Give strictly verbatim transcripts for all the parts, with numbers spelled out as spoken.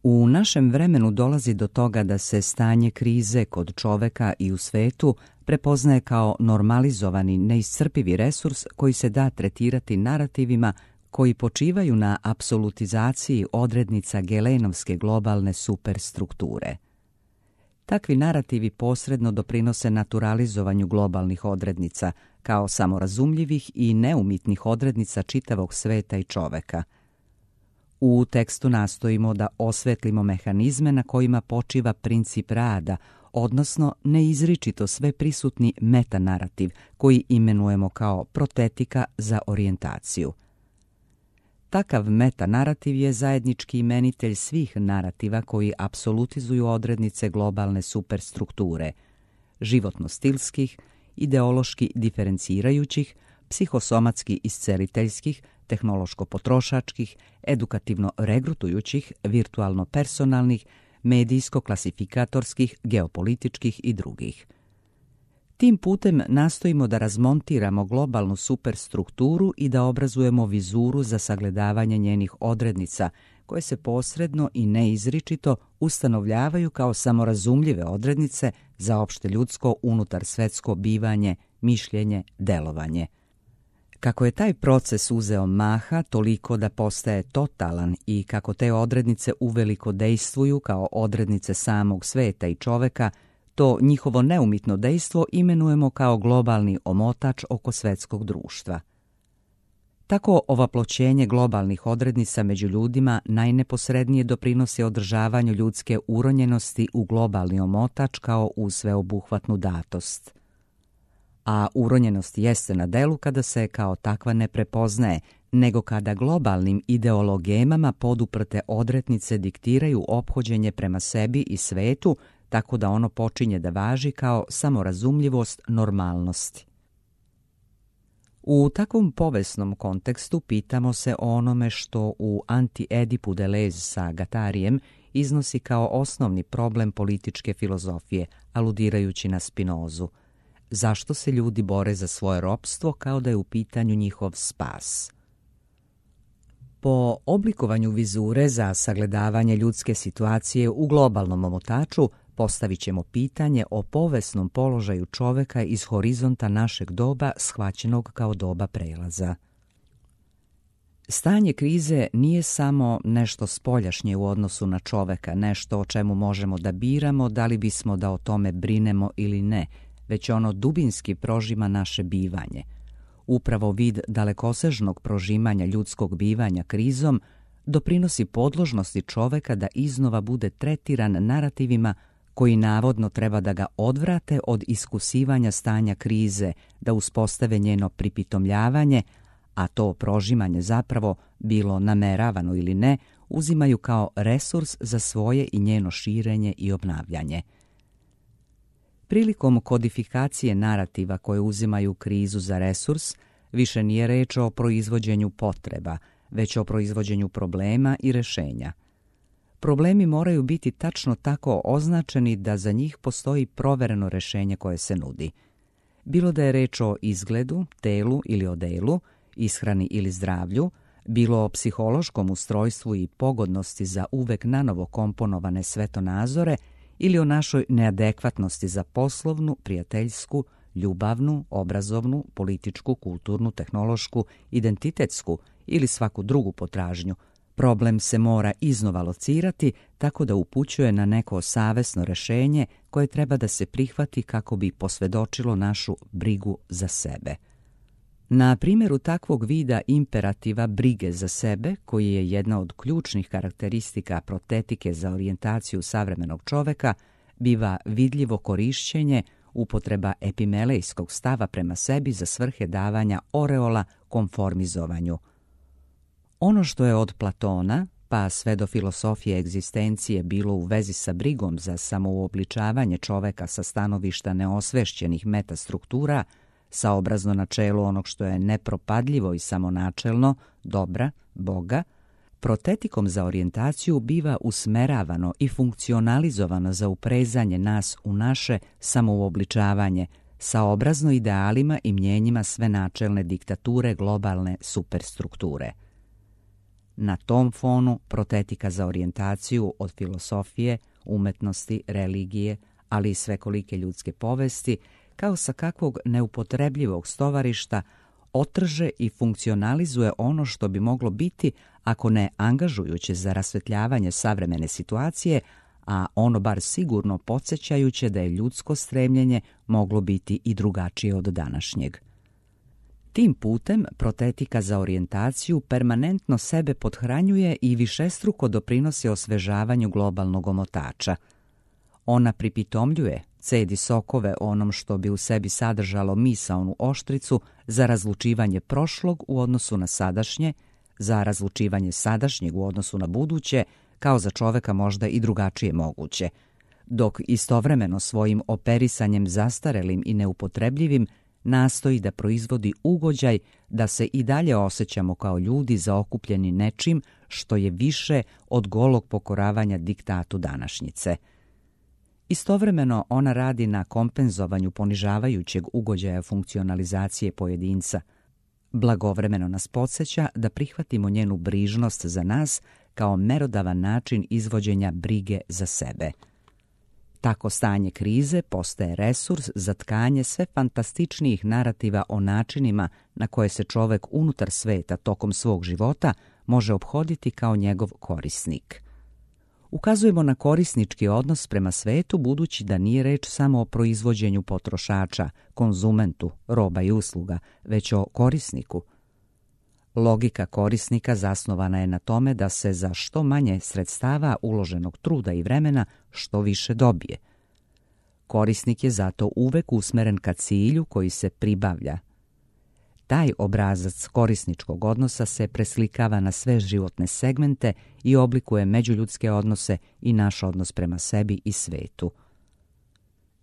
U našem vremenu dolazi do toga da se stanje krize kod čoveka i u svetu prepoznaje kao normalizovani, neiscrpivi resurs koji se da tretirati narativima koji počivaju na apsolutizaciji odrednica gelenovske globalne superstrukture. Takvi narativi posredno doprinose naturalizovanju globalnih odrednica kao samorazumljivih i neumitnih odrednica čitavog sveta i čoveka. U tekstu nastojimo da osvetlimo mehanizme na kojima počiva princip rada, odnosno neizričito sve prisutni metanarativ koji imenujemo kao protetika za orijentaciju. Takav metanarativ je zajednički imenitelj svih narativa koji apsolutizuju odrednice globalne superstrukture, životno-stilskih, ideološki diferencirajućih, psihosomatski isceliteljskih, tehnološko-potrošačkih, edukativno-regrutujućih, virtualno-personalnih, medijsko-klasifikatorskih, geopolitičkih i drugih. Tim putem nastojimo da razmontiramo globalnu superstrukturu i da obrazujemo vizuru za sagledavanje njenih odrednica, koje se posredno i neizričito ustanovljavaju kao samorazumljive odrednice za opšte ljudsko unutar svetsko bivanje, mišljenje, delovanje. Kako je taj proces uzeo maha toliko da postaje totalan i kako te odrednice uveliko dejstvuju kao odrednice samog sveta i čoveka, to njihovo neumitno dejstvo imenujemo kao globalni omotač oko svetskog društva. Tako ovaploćenje globalnih odrednica među ljudima najneposrednije doprinosi održavanju ljudske uronjenosti u globalni omotač kao u sveobuhvatnu datost. A uronjenost jeste na delu kada se kao takva ne prepoznaje, nego kada globalnim ideologemama poduprte odrednice diktiraju ophođenje prema sebi i svetu, tako da ono počinje da važi kao samorazumljivost normalnosti. U takvom povesnom kontekstu pitamo se o onome što u Anti-Edipu Deleuze sa Guattarijem iznosi kao osnovni problem političke filozofije, aludirajući na Spinozu. Zašto se ljudi bore za svoje ropstvo kao da je u pitanju njihov spas? Po oblikovanju vizure za sagledavanje ljudske situacije u globalnom omotaču postavit ćemo pitanje o povesnom položaju čoveka iz horizonta našeg doba shvaćenog kao doba prelaza. Stanje krize nije samo nešto spoljašnje u odnosu na čoveka, nešto o čemu možemo da biramo da li bismo da o tome brinemo ili ne, već ono dubinski prožima naše bivanje. Upravo vid dalekosežnog prožimanja ljudskog bivanja krizom doprinosi podložnosti čoveka da iznova bude tretiran narativima koji navodno treba da ga odvrate od iskusivanja stanja krize, da uspostave njeno pripitomljavanje, a to prožimanje zapravo, bilo nameravano ili ne, uzimaju kao resurs za svoje i njeno širenje i obnavljanje. Prilikom kodifikacije narativa koje uzimaju krizu za resurs, više nije reč o proizvođenju potreba, već o proizvođenju problema i rešenja. Problemi moraju biti tačno tako označeni da za njih postoji provereno rešenje koje se nudi. Bilo da je reč o izgledu, telu ili odelu, ishrani ili zdravlju, bilo o psihološkom ustrojstvu i pogodnosti za uvek nanovo komponovane svetonazore ili o našoj neadekvatnosti za poslovnu, prijateljsku, ljubavnu, obrazovnu, političku, kulturnu, tehnološku, identitetsku ili svaku drugu potražnju, problem se mora iznova locirati tako da upućuje na neko savesno rešenje koje treba da se prihvati kako bi posvedočilo našu brigu za sebe. Na primjeru takvog vida imperativa brige za sebe, koji je jedna od ključnih karakteristika protetike za orijentaciju savremenog čoveka, biva vidljivo korišćenje, upotreba epimelejskog stava prema sebi za svrhe davanja oreola konformizovanju. Ono što je od Platona, pa sve do filosofije egzistencije bilo u vezi sa brigom za samouobličavanje čoveka sa stanovišta neosvešćenih metastruktura, saobrazno načelu onog što je nepropadljivo i samonačelno, dobra, Boga, protetikom za orijentaciju biva usmeravano i funkcionalizovano za uprezanje nas u naše samouobličavanje, saobrazno idealima i mnjenjima sve načelne diktature globalne superstrukture. Na tom fonu protetika za orijentaciju od filosofije, umetnosti, religije, ali i svekolike ljudske povesti, kao sa kakvog neupotrebljivog stovarišta, otrže i funkcionalizuje ono što bi moglo biti, ako ne angažujuće za rasvetljavanje savremene situacije, a ono bar sigurno podsjećajuće da je ljudsko stremljenje moglo biti i drugačije od današnjeg. Tim putem protetika za orijentaciju permanentno sebe pothranjuje i višestruko doprinosi osvežavanju globalnog omotača. Ona pripitomljuje, cedi sokove onom što bi u sebi sadržalo misaonu oštricu za razlučivanje prošlog u odnosu na sadašnje, za razlučivanje sadašnjeg u odnosu na buduće, kao za čoveka možda i drugačije moguće, dok istovremeno svojim operisanjem zastarelim i neupotrebljivim nastoji da proizvodi ugođaj da se i dalje osjećamo kao ljudi zaokupljeni nečim što je više od golog pokoravanja diktatu današnjice. Istovremeno ona radi na kompenzovanju ponižavajućeg ugođaja funkcionalizacije pojedinca. Blagovremeno nas podsjeća da prihvatimo njenu brižnost za nas kao merodavan način izvođenja brige za sebe. Tako stanje krize postaje resurs za tkanje sve fantastičnijih narativa o načinima na koje se čovek unutar sveta tokom svog života može ophoditi kao njegov korisnik. Ukazujemo na korisnički odnos prema svetu budući da nije reč samo o proizvođenju potrošača, konzumentu, roba i usluga, već o korisniku. Logika korisnika zasnovana je na tome da se za što manje sredstava uloženog truda i vremena što više dobije. Korisnik je zato uvek usmeren ka cilju koji se pribavlja. Taj obrazac korisničkog odnosa se preslikava na sve životne segmente i oblikuje međuljudske odnose i naš odnos prema sebi i svetu.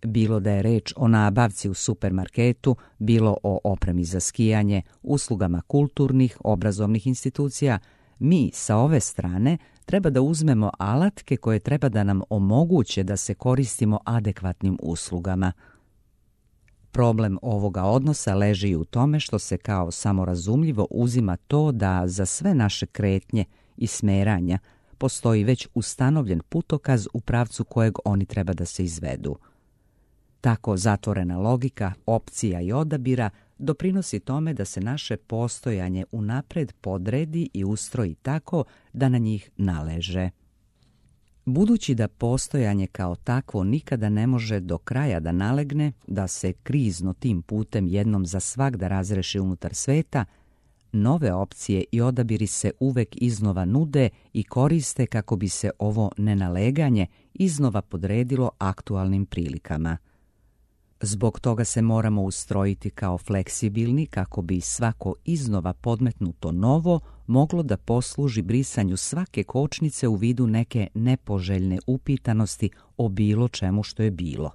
Bilo da je reč o nabavci u supermarketu, bilo o opremi za skijanje, uslugama kulturnih, obrazovnih institucija, mi sa ove strane treba da uzmemo alatke koje treba da nam omoguće da se koristimo adekvatnim uslugama. Problem ovoga odnosa leži i u tome što se kao samorazumljivo uzima to da za sve naše kretnje i smeranja postoji već ustanovljen putokaz u pravcu kojeg oni treba da se izvedu. Tako zatvorena logika, opcija i odabira doprinosi tome da se naše postojanje unapred podredi i ustroji tako da na njih naleže. Budući da postojanje kao takvo nikada ne može do kraja da nalegne, da se krizno tim putem jednom za svagda razreši unutar sveta, nove opcije i odabiri se uvek iznova nude i koriste kako bi se ovo nenaleganje iznova podredilo aktualnim prilikama. Zbog toga se moramo ustrojiti kao fleksibilni kako bi svako iznova podmetnuto novo moglo da posluži brisanju svake kočnice u vidu neke nepoželjne upitanosti o bilo čemu što je bilo.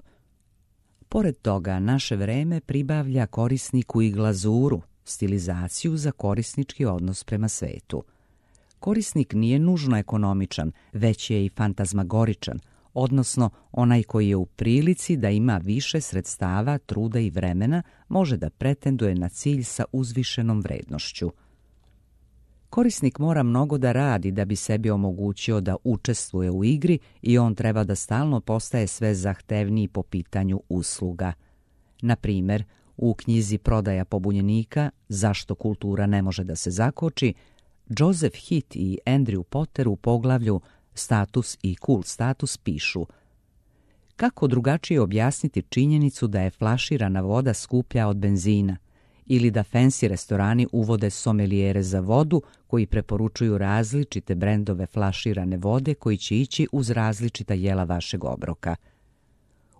Pored toga, naše vreme pribavlja korisniku i glazuru, stilizaciju za korisnički odnos prema svetu. Korisnik nije nužno ekonomičan, već je i fantazmagoričan, odnosno onaj koji je u prilici da ima više sredstava, truda i vremena, može da pretenduje na cilj sa uzvišenom vrednošću. Korisnik mora mnogo da radi da bi sebi omogućio da učestvuje u igri i on treba da stalno postaje sve zahtevniji po pitanju usluga. Na primjer, u knjizi Prodaja pobunjenika, Zašto kultura ne može da se zakoči, Joseph Heath i Andrew Potter u poglavlju Status i cool status pišu: kako drugačije objasniti činjenicu da je flaširana voda skuplja od benzina ili da fancy restorani uvode somelijere za vodu koji preporučuju različite brendove flaširane vode koji će ići uz različita jela vašeg obroka.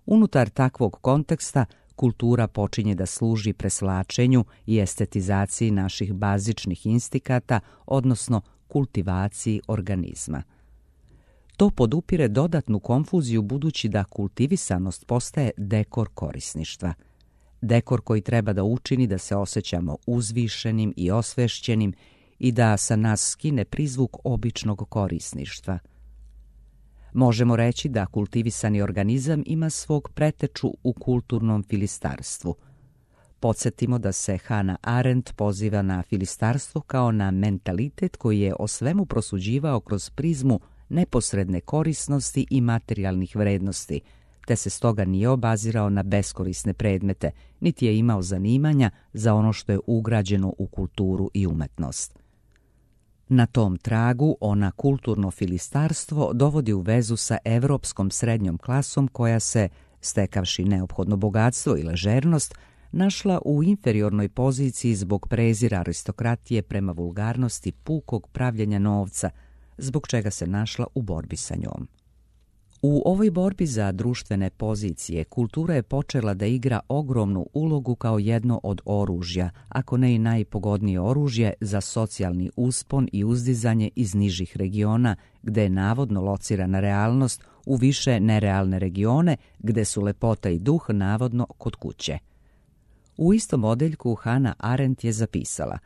Unutar takvog konteksta kultura počinje da služi preslačenju i estetizaciji naših bazičnih instikata, odnosno kultivaciji organizma. To podupire dodatnu konfuziju budući da kultivisanost postaje dekor korisništva. Dekor koji treba da učini da se osjećamo uzvišenim i osvešćenim i da sa nas skine prizvuk običnog korisništva. Možemo reći da kultivisani organizam ima svog preteču u kulturnom filistarstvu. Podsjetimo da se Hannah Arendt poziva na filistarstvo kao na mentalitet koji je o svemu prosuđivao kroz prizmu neposredne korisnosti i materijalnih vrednosti, te se stoga nije obazirao na beskorisne predmete, niti je imao zanimanja za ono što je ugrađeno u kulturu i umetnost. Na tom tragu ona kulturno filistarstvo dovodi u vezu sa evropskom srednjom klasom koja se, stekavši neophodno bogatstvo i ležernost, našla u inferiornoj poziciji zbog prezira aristokratije prema vulgarnosti pukog pravljenja novca, zbog čega se našla u borbi sa njom. U ovoj borbi za društvene pozicije kultura je počela da igra ogromnu ulogu kao jedno od oružja, ako ne i najpogodnije oružje za socijalni uspon i uzdizanje iz nižih regiona, gde je navodno locirana realnost, u više nerealne regione, gde su lepota i duh navodno kod kuće. U istom odeljku Hannah Arendt je zapisala: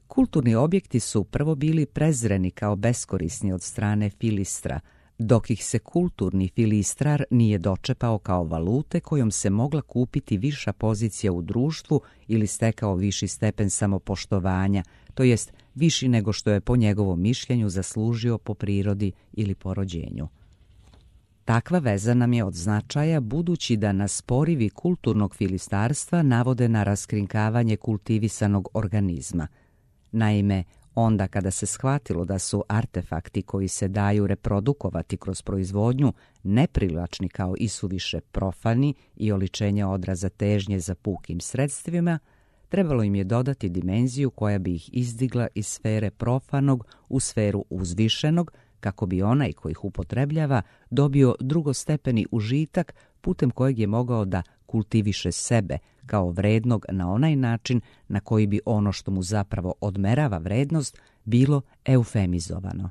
kulturni objekti su prvo bili prezreni kao beskorisni od strane filistra, dok ih se kulturni filistrar nije dočepao kao valute kojom se mogla kupiti viša pozicija u društvu ili stekao viši stepen samopoštovanja, to jest viši nego što je po njegovom mišljenju zaslužio po prirodi ili po rođenju. Takva veza nam je od značaja budući da nas porivi kulturnog filistarstva navode na raskrinkavanje kultivisanog organizma. Naime, onda kada se shvatilo da su artefakti koji se daju reprodukovati kroz proizvodnju neprivlačni kao isuviše profani i oličenje odraza težnje za pukim sredstvima, trebalo im je dodati dimenziju koja bi ih izdigla iz sfere profanog u sferu uzvišenog, kako bi onaj koji ih upotrebljava dobio drugostepeni užitak putem kojeg je mogao da kultiviše sebe kao vrednog na onaj način na koji bi ono što mu zapravo odmerava vrednost bilo eufemizovano.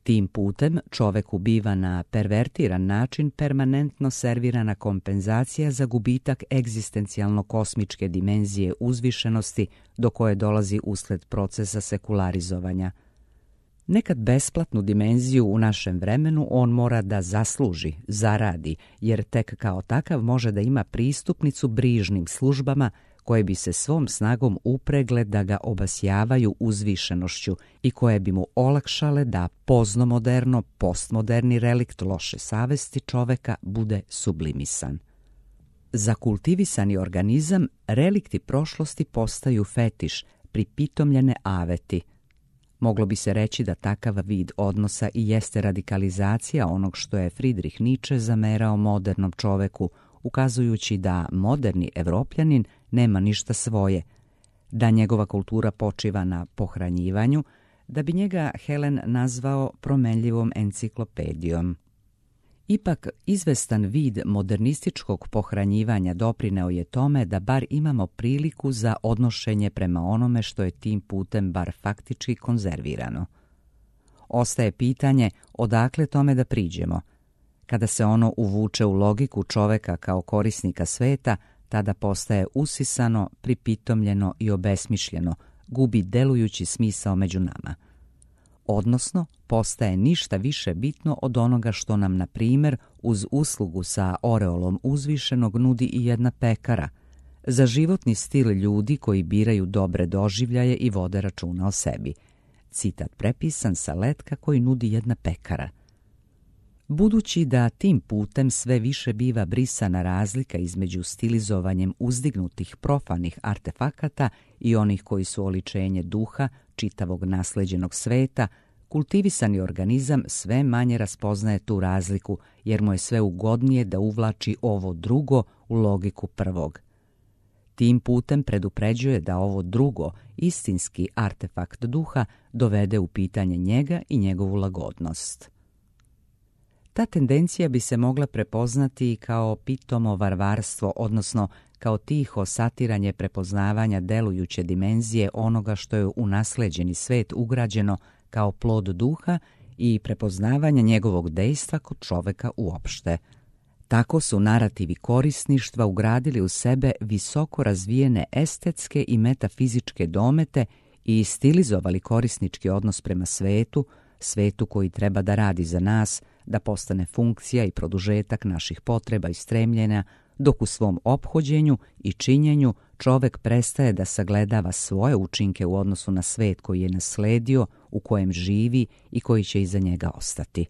Tim putem čoveku biva na pervertiran način permanentno servirana kompenzacija za gubitak egzistencijalno-kosmičke dimenzije uzvišenosti do koje dolazi usled procesa sekularizovanja. Nekad besplatnu dimenziju u našem vremenu on mora da zasluži, zaradi, jer tek kao takav može da ima pristupnicu brižnim službama koje bi se svom snagom upregle da ga obasjavaju uzvišenošću i koje bi mu olakšale da poznomoderno, postmoderni relikt loše savesti čoveka bude sublimisan. Za kultivisani organizam relikti prošlosti postaju fetiš, pripitomljene aveti. Moglo bi se reći da takav vid odnosa i jeste radikalizacija onog što je Friedrich Nietzsche zamerao modernom čoveku, ukazujući da moderni Evropljanin nema ništa svoje, da njegova kultura počiva na pohranjivanju, da bi njega Helen nazvao promenljivom enciklopedijom. Ipak, izvestan vid modernističkog pohranjivanja doprineo je tome da bar imamo priliku za odnošenje prema onome što je tim putem bar faktički konzervirano. Ostaje pitanje odakle tome da priđemo. Kada se ono uvuče u logiku čoveka kao korisnika sveta, tada postaje usisano, pripitomljeno i obesmišljeno, gubi delujući smisao među nama. Odnosno, postaje ništa više bitno od onoga što nam, na primjer, uz uslugu sa oreolom uzvišenog nudi i jedna pekara, za životni stil ljudi koji biraju dobre doživljaje i vode računa o sebi. Citat prepisan sa letka koji nudi jedna pekara. Budući da tim putem sve više biva brisana razlika između stilizovanjem uzdignutih profanih artefakata i onih koji su oličenje duha, čitavog nasleđenog sveta, kultivisani organizam sve manje raspoznaje tu razliku, jer mu je sve ugodnije da uvlači ovo drugo u logiku prvog. Tim putem predupređuje da ovo drugo, istinski artefakt duha, dovede u pitanje njega i njegovu lagodnost. Ta tendencija bi se mogla prepoznati kao pitomo varvarstvo, odnosno kao tiho satiranje prepoznavanja delujuće dimenzije onoga što je u nasleđeni svet ugrađeno kao plod duha i prepoznavanja njegovog dejstva kod čoveka uopšte. Tako su narativi korisništva ugradili u sebe visoko razvijene estetske i metafizičke domete i stilizovali korisnički odnos prema svetu, svetu koji treba da radi za nas, da postane funkcija i produžetak naših potreba i stremljenja, dok u svom ophođenju i činjenju čovek prestaje da sagledava svoje učinke u odnosu na svet koji je nasledio, u kojem živi i koji će iza njega ostati.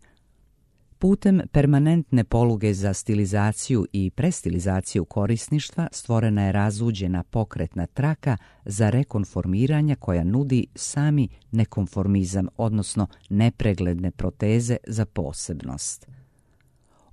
Putem permanentne poluge za stilizaciju i prestilizaciju korisništva stvorena je razuđena pokretna traka za rekonformiranja koja nudi sami nekonformizam, odnosno nepregledne proteze za posebnost.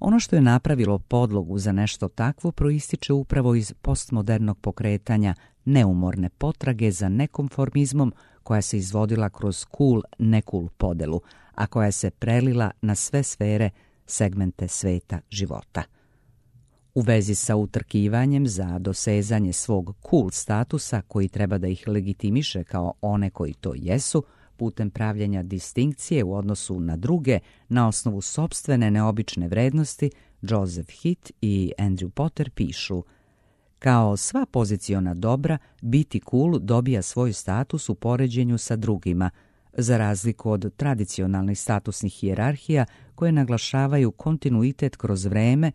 Ono što je napravilo podlogu za nešto takvo proističe upravo iz postmodernog pokretanja neumorne potrage za nekonformizmom koja se izvodila kroz cool-ne-cool podelu, a koja se prelila na sve sfere, segmente sveta života. U vezi sa utrkivanjem za dosezanje svog cool statusa koji treba da ih legitimiše kao one koji to jesu, putem pravljenja distinkcije u odnosu na druge na osnovu sopstvene neobične vrednosti, Joseph Heath i Andrew Potter pišu: kao sva poziciona dobra, biti cool dobija svoj status u poređenju sa drugima, za razliku od tradicionalnih statusnih hijerarhija koje naglašavaju kontinuitet kroz vreme.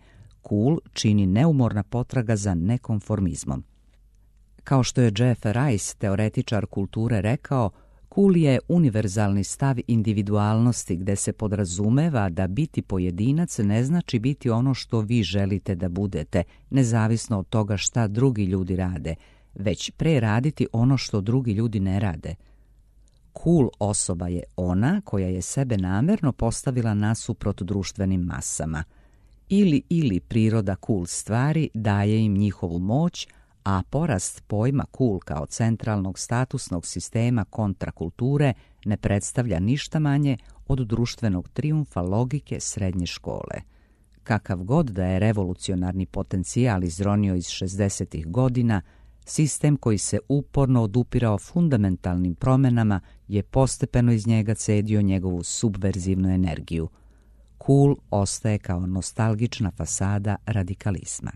Cool čini neumorna potraga za nekonformizmom. Kao što je Jeff Rice, teoretičar kulture, rekao, cool je univerzalni stav individualnosti gde se podrazumeva da biti pojedinac ne znači biti ono što vi želite da budete, nezavisno od toga šta drugi ljudi rade, već pre raditi ono što drugi ljudi ne rade. Cool osoba je ona koja je sebe namerno postavila nasuprot društvenim masama. Ili ili priroda cool stvari daje im njihovu moć, a porast pojma cool kao centralnog statusnog sistema kontrakulture ne predstavlja ništa manje od društvenog trijumfa logike srednje škole. Kakav god da je revolucionarni potencijal izronio iz šezdesetih godina, sistem koji se uporno odupirao fundamentalnim promenama je postepeno iz njega cedio njegovu subverzivnu energiju. Cool ostaje kao nostalgična fasada radikalizma.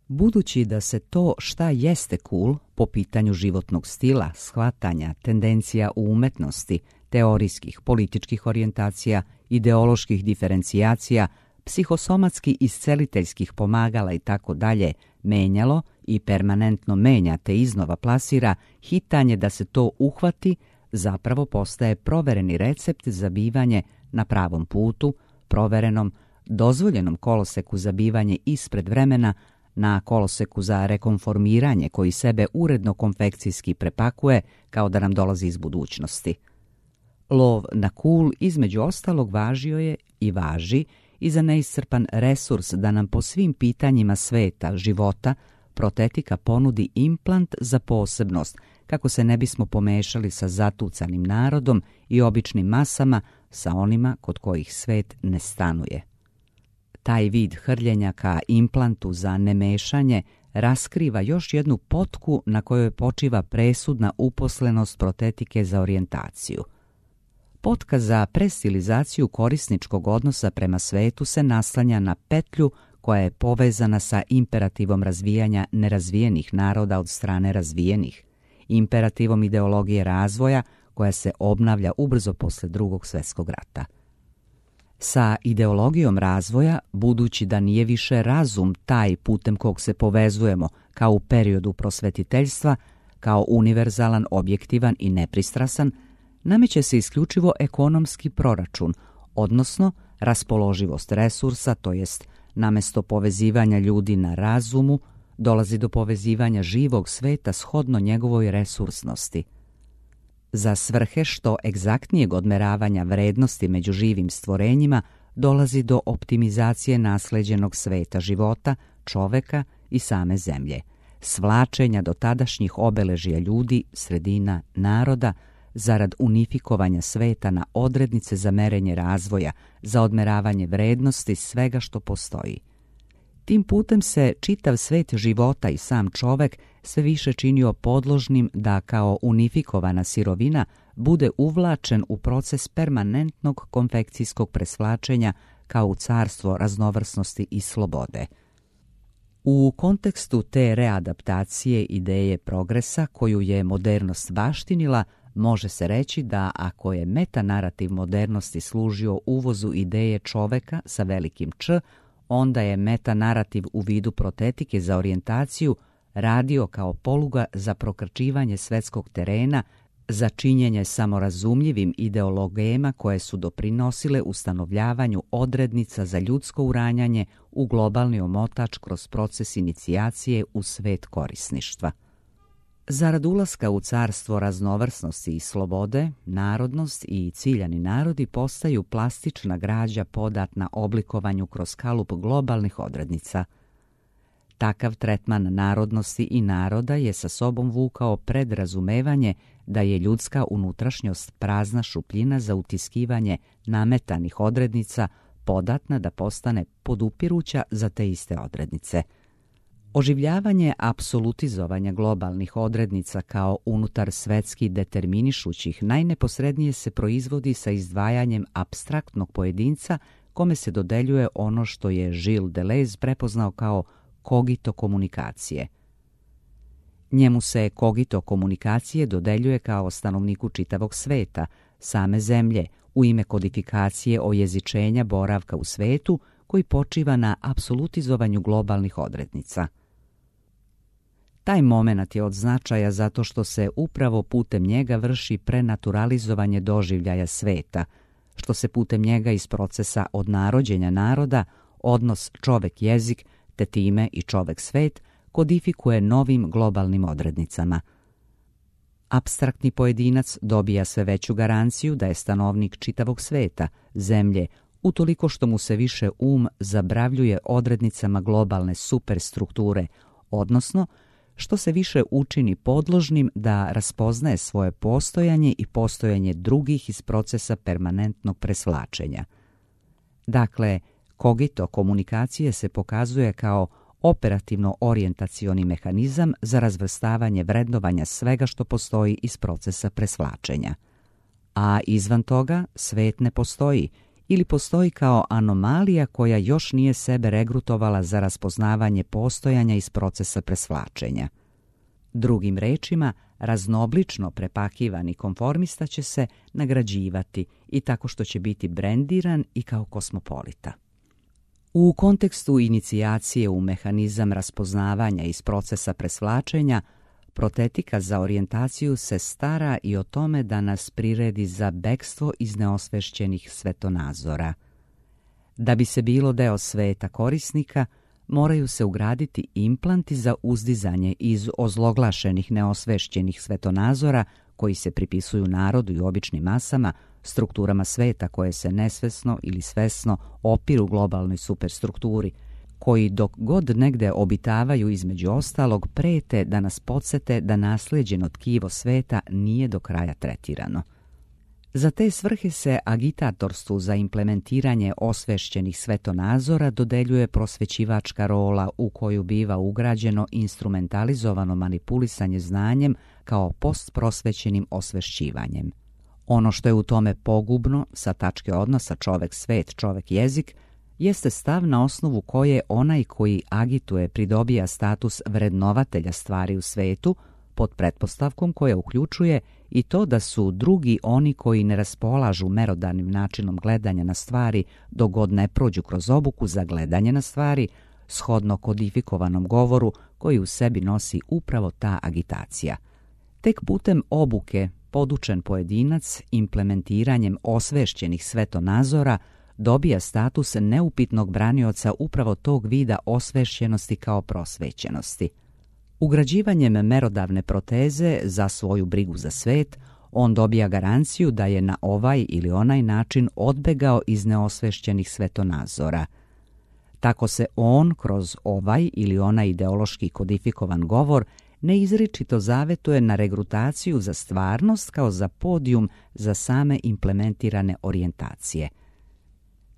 Budući da se to šta jeste cool po pitanju životnog stila, shvatanja, tendencija u umetnosti, teorijskih, političkih orijentacija, ideoloških diferencijacija, psihosomatski isceliteljskih pomagala i tako dalje menjalo i permanentno menja te iznova plasira, hitanje da se to uhvati zapravo postaje provereni recept za bivanje na pravom putu, proverenom, dozvoljenom koloseku za bivanje ispred vremena, na koloseku za rekonformiranje koji sebe uredno konfekcijski prepakuje kao da nam dolazi iz budućnosti. Lov na cool između ostalog važio je i važi i za neiscrpan resurs da nam po svim pitanjima sveta, života, protetika ponudi implant za posebnost, kako se ne bismo pomešali sa zatucanim narodom i običnim masama, sa onima kod kojih svet ne stanuje. Taj vid hrljenja ka implantu za nemešanje raskriva još jednu potku na kojoj počiva presudna uposlenost protetike za orijentaciju. Potka za prestilizaciju korisničkog odnosa prema svetu se naslanja na petlju koja je povezana sa imperativom razvijanja nerazvijenih naroda od strane razvijenih, imperativom ideologije razvoja koja se obnavlja ubrzo posle Drugog svjetskog rata. Sa ideologijom razvoja, budući da nije više razum taj putem kog se povezujemo kao u periodu prosvetiteljstva, kao univerzalan, objektivan i nepristrasan, nameće se isključivo ekonomski proračun, odnosno raspoloživost resursa, to jest namesto povezivanja ljudi na razumu, dolazi do povezivanja živog sveta shodno njegovoj resursnosti. Za svrhe što egzaktnijeg odmeravanja vrednosti među živim stvorenjima dolazi do optimizacije nasleđenog sveta života, čoveka i same zemlje, svlačenja do tadašnjih obeležija ljudi, sredina, naroda, zarad unifikovanja sveta na odrednice za merenje razvoja, za odmeravanje vrednosti svega što postoji. Tim putem se čitav svet života i sam čovek sve više činio podložnim da kao unifikovana sirovina bude uvlačen u proces permanentnog konfekcijskog presvlačenja kao u carstvo raznovrsnosti i slobode. U kontekstu te readaptacije ideje progresa koju je modernost baštinila, može se reći da ako je metanarativ modernosti služio uvozu ideje čoveka sa velikim Č, onda je metanarativ u vidu protetike za orijentaciju radio kao poluga za prokrčivanje svetskog terena, za činjenje samorazumljivim ideologema koje su doprinosile ustanovljavanju odrednica za ljudsko uranjanje u globalni omotač kroz proces inicijacije u svet korisništva. Zarad ulaska u carstvo raznovrsnosti i slobode, narodnost i ciljani narodi postaju plastična građa podatna oblikovanju kroz kalup globalnih odrednica. Takav tretman narodnosti i naroda je sa sobom vukao predrazumevanje da je ljudska unutrašnjost prazna šupljina za utiskivanje nametanih odrednica, podatna da postane podupiruća za te iste odrednice. Oživljavanje apsolutizovanja globalnih odrednica kao unutar svetski determinišućih najneposrednije se proizvodi sa izdvajanjem apstraktnog pojedinca kome se dodeljuje ono što je Gilles Deleuze prepoznao kao kogito komunikacije. Njemu se kogito komunikacije dodeljuje kao stanovniku čitavog sveta, same zemlje, u ime kodifikacije ojezičenja boravka u svetu koji počiva na apsolutizovanju globalnih odrednica. Taj momenat je od značaja zato što se upravo putem njega vrši prenaturalizovanje doživljaja sveta, što se putem njega iz procesa odnarođenja naroda, odnos čovek-jezik, te time i čovek-svet, kodifikuje novim globalnim odrednicama. Apstraktni pojedinac dobija sve veću garanciju da je stanovnik čitavog sveta, zemlje, utoliko što mu se više um zabravljuje odrednicama globalne superstrukture, odnosno što se više učini podložnim da raspoznaje svoje postojanje i postojanje drugih iz procesa permanentnog presvlačenja. Dakle, kogito komunikacije se pokazuje kao operativno orijentacioni mehanizam za razvrstavanje vrednovanja svega što postoji iz procesa presvlačenja. A izvan toga svet ne postoji ili postoji kao anomalija koja još nije sebe regrutovala za raspoznavanje postojanja iz procesa presvlačenja. Drugim rečima, raznoblično prepakivani konformista će se nagrađivati i tako što će biti brendiran i kao kosmopolita. U kontekstu inicijacije u mehanizam raspoznavanja iz procesa presvlačenja, protetika za orijentaciju se stara i o tome da nas priredi za bekstvo iz neosvešćenih svetonazora. Da bi se bilo deo sveta korisnika, moraju se ugraditi implanti za uzdizanje iz ozloglašenih neosvešćenih svetonazora koji se pripisuju narodu i običnim masama, strukturama sveta koje se nesvesno ili svesno opiru globalnoj superstrukturi, koji dok god negde obitavaju između ostalog prete da nas podsete da naslijeđeno tkivo sveta nije do kraja tretirano. Za te svrhe se agitatorstvu za implementiranje osvešćenih svetonazora dodeljuje prosvećivačka rola u koju biva ugrađeno instrumentalizovano manipulisanje znanjem kao postprosvećenim osvešćivanjem. Ono što je u tome pogubno sa tačke odnosa čovek-svet, čovek-jezik, jeste stav na osnovu koje onaj koji agituje pridobija status vrednovatelja stvari u svetu, pod pretpostavkom koja uključuje i to da su drugi oni koji ne raspolažu merodavnim načinom gledanja na stvari dok god ne prođu kroz obuku za gledanje na stvari, shodno kodifikovanom govoru koji u sebi nosi upravo ta agitacija. Tek putem obuke podučen pojedinac implementiranjem osvešćenih svetonazora dobija status neupitnog branioca upravo tog vida osvešćenosti kao prosvećenosti. Ugrađivanjem merodavne proteze za svoju brigu za svet, on dobija garanciju da je na ovaj ili onaj način odbegao iz neosvešćenih svetonazora. Tako se on kroz ovaj ili onaj ideološki kodifikovan govor neizričito zavetuje na regrutaciju za stvarnost kao za podijum za same implementirane orijentacije.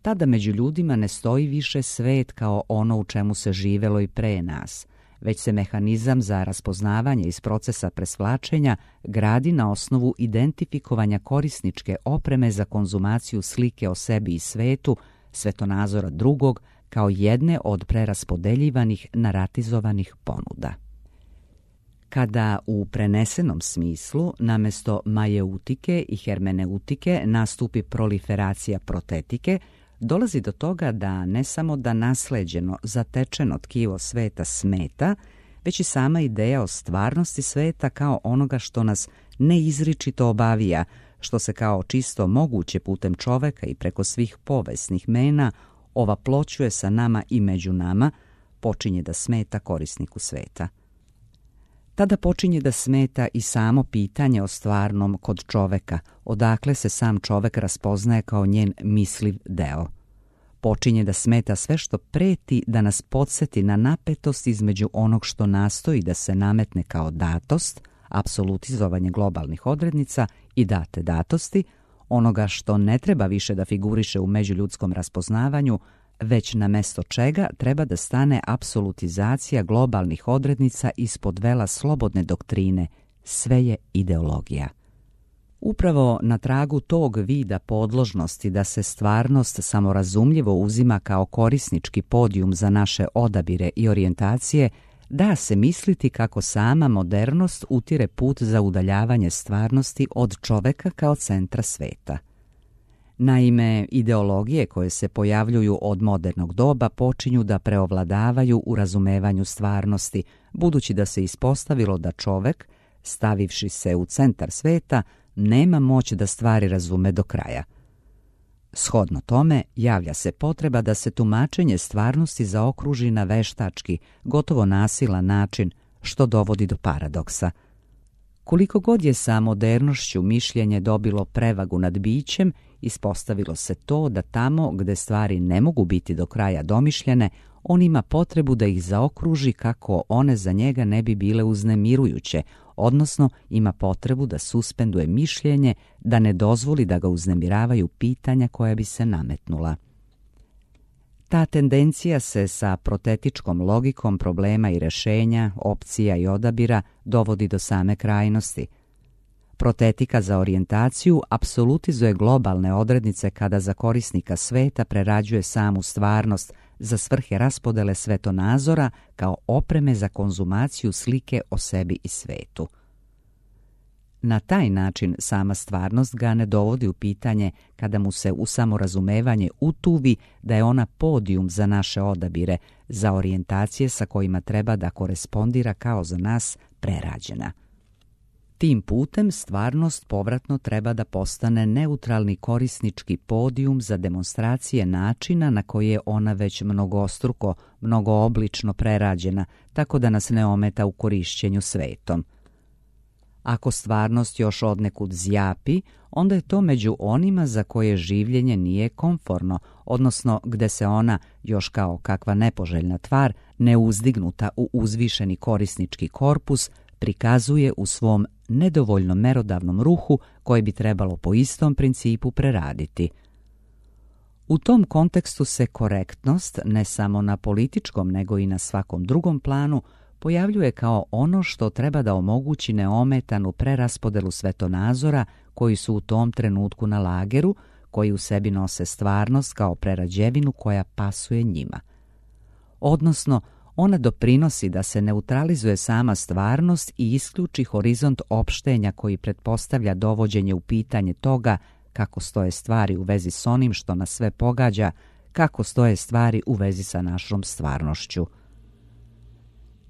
Tada među ljudima ne stoji više svet kao ono u čemu se živelo i pre nas, već se mehanizam za raspoznavanje iz procesa presvlačenja gradi na osnovu identifikovanja korisničke opreme za konzumaciju slike o sebi i svetu, svetonazora drugog, kao jedne od preraspodeljivanih naratizovanih ponuda. Kada u prenesenom smislu namesto majeutike i hermeneutike nastupi proliferacija protetike, dolazi do toga da ne samo da nasleđeno, zatečeno tkivo sveta smeta, već i sama ideja o stvarnosti sveta kao onoga što nas neizričito obavija, što se kao čisto moguće putem čoveka i preko svih povijesnih mena ovaploćuje sa nama i među nama, počinje da smeta korisniku sveta. Tada počinje da smeta i samo pitanje o stvarnom kod čoveka, odakle se sam čovek raspoznaje kao njen misliv deo. Počinje da smeta sve što preti da nas podsjeti na napetost između onog što nastoji da se nametne kao datost, apsolutizovanje globalnih odrednica i date datosti, onoga što ne treba više da figuriše u međuljudskom raspoznavanju, već na mesto čega treba da stane apsolutizacija globalnih odrednica ispod vela slobodne doktrine, sve je ideologija. Upravo na tragu tog vida podložnosti da se stvarnost samorazumljivo uzima kao korisnički podijum za naše odabire i orijentacije, da se misliti kako sama modernost utire put za udaljavanje stvarnosti od čoveka kao centra sveta. Naime, ideologije koje se pojavljuju od modernog doba počinju da preovladavaju u razumevanju stvarnosti, budući da se ispostavilo da čovek, stavivši se u centar sveta, nema moć da stvari razume do kraja. Shodno tome, javlja se potreba da se tumačenje stvarnosti zaokruži na veštački, gotovo nasilan način, što dovodi do paradoksa. Koliko god je sa modernošću mišljenje dobilo prevagu nad bićem, ispostavilo se to da tamo gde stvari ne mogu biti do kraja domišljene, on ima potrebu da ih zaokruži kako one za njega ne bi bile uznemirujuće, odnosno ima potrebu da suspenduje mišljenje, da ne dozvoli da ga uznemiravaju pitanja koja bi se nametnula. Ta tendencija se sa protetičkom logikom problema i rešenja, opcija i odabira dovodi do same krajnosti. Protetika za orijentaciju apsolutizuje globalne odrednice kada za korisnika sveta prerađuje samu stvarnost za svrhe raspodele svetonazora kao opreme za konzumaciju slike o sebi i svetu. Na taj način sama stvarnost ga ne dovodi u pitanje kada mu se u samorazumevanje utuvi da je ona podijum za naše odabire, za orijentacije sa kojima treba da korespondira kao za nas prerađena. Tim putem stvarnost povratno treba da postane neutralni korisnički podijum za demonstracije načina na koji je ona već mnogostruko, mnogooblično prerađena, tako da nas ne ometa u korišćenju svetom. Ako stvarnost još odnekud zjapi, onda je to među onima za koje življenje nije komforno, odnosno gde se ona, još kao kakva nepoželjna tvar, neuzdignuta u uzvišeni korisnički korpus, prikazuje u svom nedovoljno merodavnom ruhu koje bi trebalo po istom principu preraditi. U tom kontekstu se korektnost, ne samo na političkom nego i na svakom drugom planu, pojavljuje kao ono što treba da omogući neometanu preraspodelu svetonazora koji su u tom trenutku na lageru, koji u sebi nose stvarnost kao prerađevinu koja pasuje njima. Odnosno, ona doprinosi da se neutralizuje sama stvarnost i isključi horizont opštenja koji pretpostavlja dovođenje u pitanje toga kako stoje stvari u vezi s onim što nas sve pogađa, kako stoje stvari u vezi sa našom stvarnošću.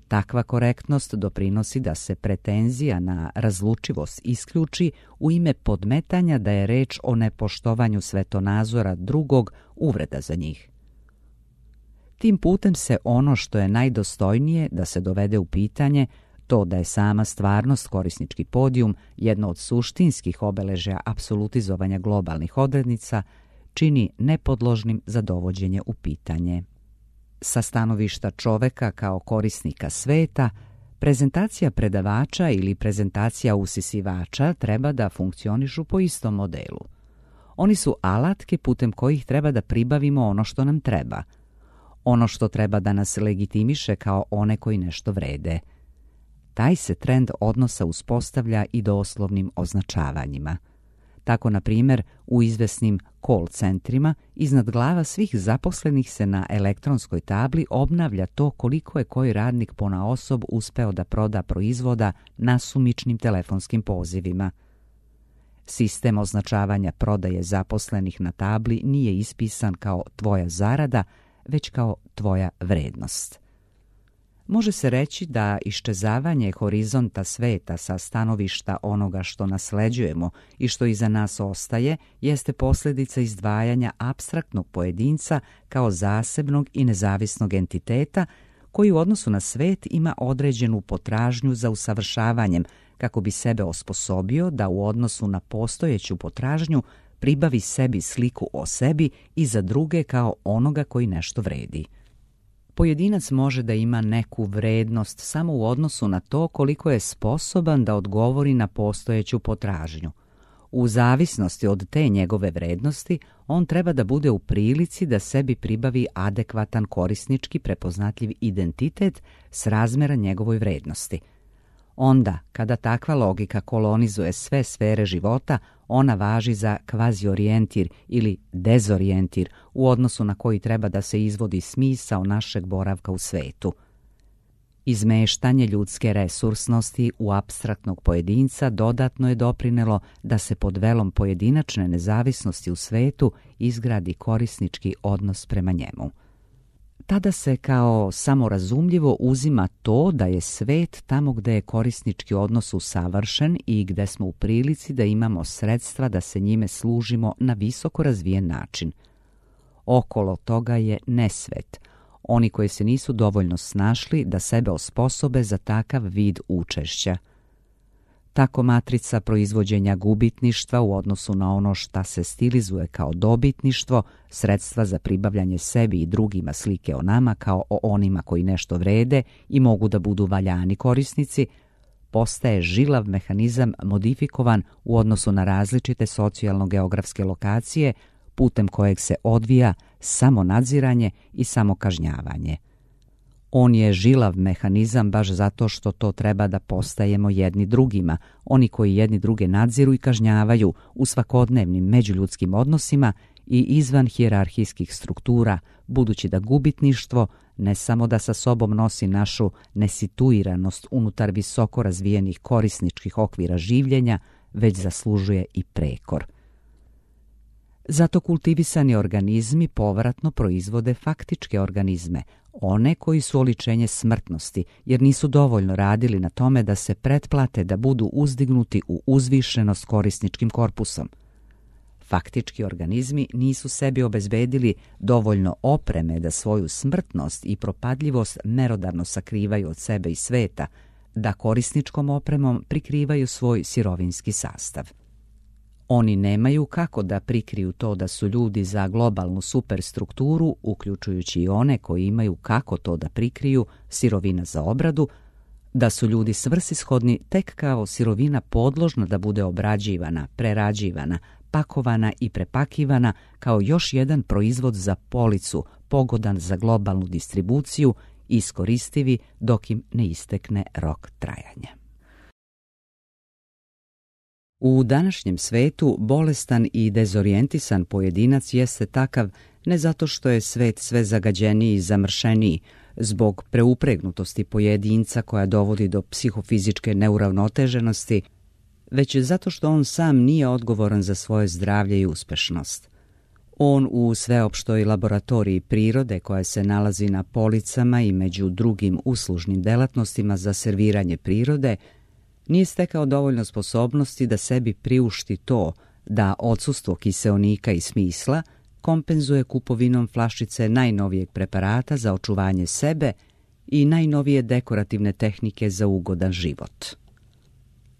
Takva korektnost doprinosi da se pretenzija na razlučivost isključi u ime podmetanja da je reč o nepoštovanju svetonazora drugog uvreda za njih. Tim putem se ono što je najdostojnije da se dovede u pitanje, to da je sama stvarnost korisnički podijum jedno od suštinskih obeležja apsolutizovanja globalnih odrednica, čini nepodložnim za dovođenje u pitanje. Sa stanovišta čoveka kao korisnika sveta, prezentacija predavača ili prezentacija usisivača treba da funkcionišu po istom modelu. Oni su alatke putem kojih treba da pribavimo ono što nam treba, ono što treba da nas legitimiše kao one koji nešto vrede. Taj se trend odnosa uspostavlja i doslovnim označavanjima. Tako, na primjer, u izvesnim call centrima iznad glava svih zaposlenih se na elektronskoj tabli obnavlja to koliko je koji radnik ponaosob uspeo da proda proizvoda nasumičnim telefonskim pozivima. Sistem označavanja prodaje zaposlenih na tabli nije ispisan kao tvoja zarada, već kao tvoja vrednost. Može se reći da iščezavanje horizonta sveta sa stanovišta onoga što nasleđujemo i što iza nas ostaje jeste posljedica izdvajanja apstraktnog pojedinca kao zasebnog i nezavisnog entiteta koji u odnosu na svet ima određenu potražnju za usavršavanjem kako bi sebe osposobio da u odnosu na postojeću potražnju pribavi sebi sliku o sebi i za druge kao onoga koji nešto vredi. Pojedinac može da ima neku vrednost samo u odnosu na to koliko je sposoban da odgovori na postojeću potražnju. U zavisnosti od te njegove vrednosti, on treba da bude u prilici da sebi pribavi adekvatan korisnički prepoznatljiv identitet srazmera njegovoj vrednosti. Onda, kada takva logika kolonizuje sve sfere života, ona važi za kvaziorijentir ili dezorijentir u odnosu na koji treba da se izvodi smisao našeg boravka u svetu. Izmeštanje ljudske resursnosti u apstraktnog pojedinca dodatno je doprinelo da se pod velom pojedinačne nezavisnosti u svetu izgradi korisnički odnos prema njemu. Tada se kao samorazumljivo uzima to da je svet tamo gde je korisnički odnos usavršen i gde smo u prilici da imamo sredstva da se njime služimo na visoko razvijen način. Okolo toga je nesvet, oni koji se nisu dovoljno snašli da sebe osposobe za takav vid učešća. Tako matrica proizvođenja gubitništva u odnosu na ono šta se stilizuje kao dobitništvo, sredstva za pribavljanje sebi i drugima slike o nama kao o onima koji nešto vrede i mogu da budu valjani korisnici, postaje žilav mehanizam modifikovan u odnosu na različite socijalno-geografske lokacije putem kojeg se odvija samo nadziranje i samo kažnjavanje. On je žilav mehanizam baš zato što to treba da postajemo jedni drugima, oni koji jedni druge nadziru i kažnjavaju u svakodnevnim međuljudskim odnosima i izvan hijerarhijskih struktura, budući da gubitništvo ne samo da sa sobom nosi našu nesituiranost unutar visoko razvijenih korisničkih okvira življenja, već zaslužuje i prekor. Zato kultivisani organizmi povratno proizvode faktičke organizme, one koji su oličenje smrtnosti, jer nisu dovoljno radili na tome da se pretplate da budu uzdignuti u uzvišenost korisničkim korpusom. Faktički organizmi nisu sebi obezbedili dovoljno opreme da svoju smrtnost i propadljivost merodavno sakrivaju od sebe i sveta, da korisničkom opremom prikrivaju svoj sirovinski sastav. Oni nemaju kako da prikriju to da su ljudi za globalnu superstrukturu, uključujući i one koji imaju kako to da prikriju, sirovina za obradu, da su ljudi svrsishodni tek kao sirovina podložna da bude obrađivana, prerađivana, pakovana i prepakivana kao još jedan proizvod za policu, pogodan za globalnu distribuciju, iskoristivi dok im ne istekne rok trajanja. U današnjem svetu bolestan i dezorijentisan pojedinac jeste takav ne zato što je svet sve zagađeniji i zamršeniji, zbog preupregnutosti pojedinca koja dovodi do psihofizičke neuravnoteženosti, već zato što on sam nije odgovoran za svoje zdravlje i uspešnost. On u sveopštoj laboratoriji prirode koja se nalazi na policama i među drugim uslužnim delatnostima za serviranje prirode nije stekao dovoljno sposobnosti da sebi priušti to da odsustvo kiseonika i smisla kompenzuje kupovinom flašice najnovijeg preparata za očuvanje sebe i najnovije dekorativne tehnike za ugodan život.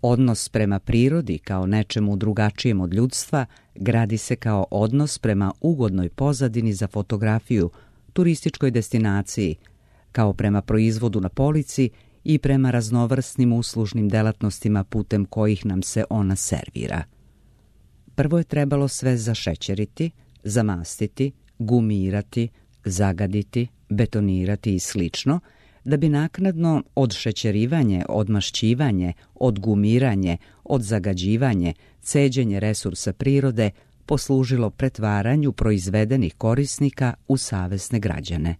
Odnos prema prirodi kao nečemu drugačijem od ljudstva gradi se kao odnos prema ugodnoj pozadini za fotografiju, turističkoj destinaciji, kao prema proizvodu na polici i prema raznovrsnim uslužnim delatnostima putem kojih nam se ona servira. Prvo je trebalo sve zašećeriti, zamastiti, gumirati, zagaditi, betonirati i slično, da bi naknadno odšećerivanje, odmašćivanje, odgumiranje, odzagađivanje, ceđenje resursa prirode poslužilo pretvaranju proizvedenih korisnika u savesne građane.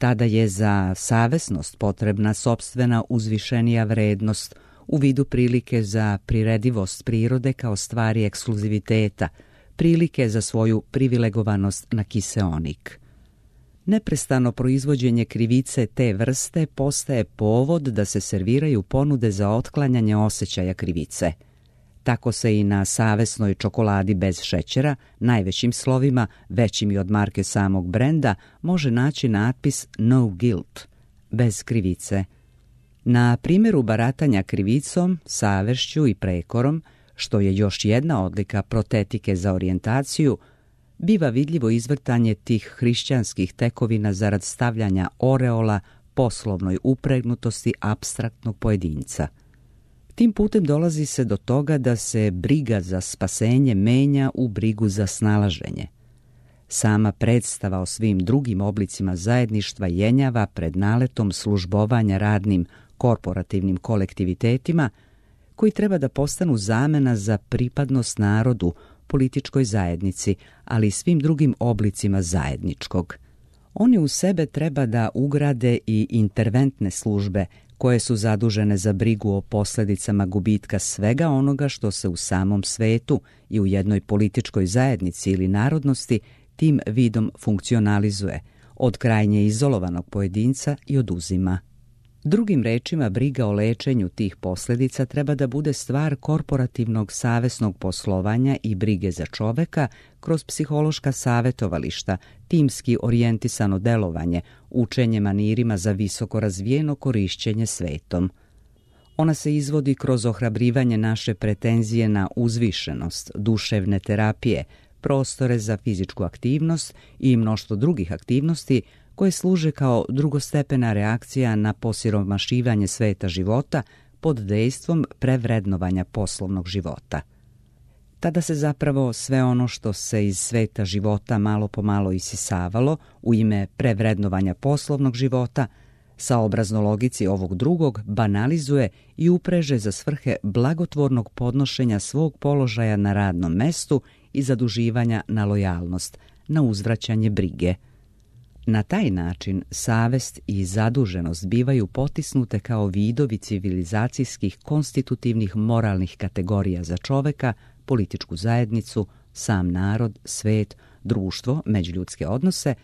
Tada je za savesnost potrebna sopstvena uzvišenija vrednost, u vidu prilike za priredivost prirode kao stvari ekskluziviteta, prilike za svoju privilegovanost na kiseonik. Neprestano proizvođenje krivice te vrste postaje povod da se serviraju ponude za otklanjanje osjećaja krivice. Tako se i na savesnoj čokoladi bez šećera, najvećim slovima, većim i od marke samog brenda, može naći natpis No guilt, bez krivice. Na primjeru baratanja krivicom, savešću i prekorom, što je još jedna odlika protetike za orijentaciju, biva vidljivo izvrtanje tih hrišćanskih tekovina zarad stavljanja oreola poslovnoj upregnutosti apstraktnog pojedinca. Tim putem dolazi se do toga da se briga za spasenje menja u brigu za snalaženje. Sama predstava o svim drugim oblicima zajedništva jenjava pred naletom službovanja radnim korporativnim kolektivitetima koji treba da postanu zamena za pripadnost narodu, političkoj zajednici, ali i svim drugim oblicima zajedničkog. Oni u sebe treba da ugrade i interventne službe koje su zadužene za brigu o posljedicama gubitka svega onoga što se u samom svetu i u jednoj političkoj zajednici ili narodnosti tim vidom funkcionalizuje, od krajnje izolovanog pojedinca i oduzima. Drugim rečima, briga o lečenju tih posljedica treba da bude stvar korporativnog savesnog poslovanja i brige za čoveka kroz psihološka savjetovališta, timski orijentisano delovanje, učenje manirima za visoko razvijeno korišćenje svetom. Ona se izvodi kroz ohrabrivanje naše pretenzije na uzvišenost, duševne terapije, prostore za fizičku aktivnost i mnoštvo drugih aktivnosti koje služe kao drugostepena reakcija na posiromašivanje sveta života pod dejstvom prevrednovanja poslovnog života. Tada se zapravo sve ono što se iz sveta života malo po malo isisavalo u ime prevrednovanja poslovnog života, saobrazno logici ovog drugog banalizuje i upreže za svrhe blagotvornog podnošenja svog položaja na radnom mestu i zaduživanja na lojalnost, na uzvraćanje brige. Na taj način savest i zaduženost bivaju potisnute kao vidovi civilizacijskih konstitutivnih moralnih kategorija za čoveka, političku zajednicu, sam narod, svet, društvo, međuljudske odnose.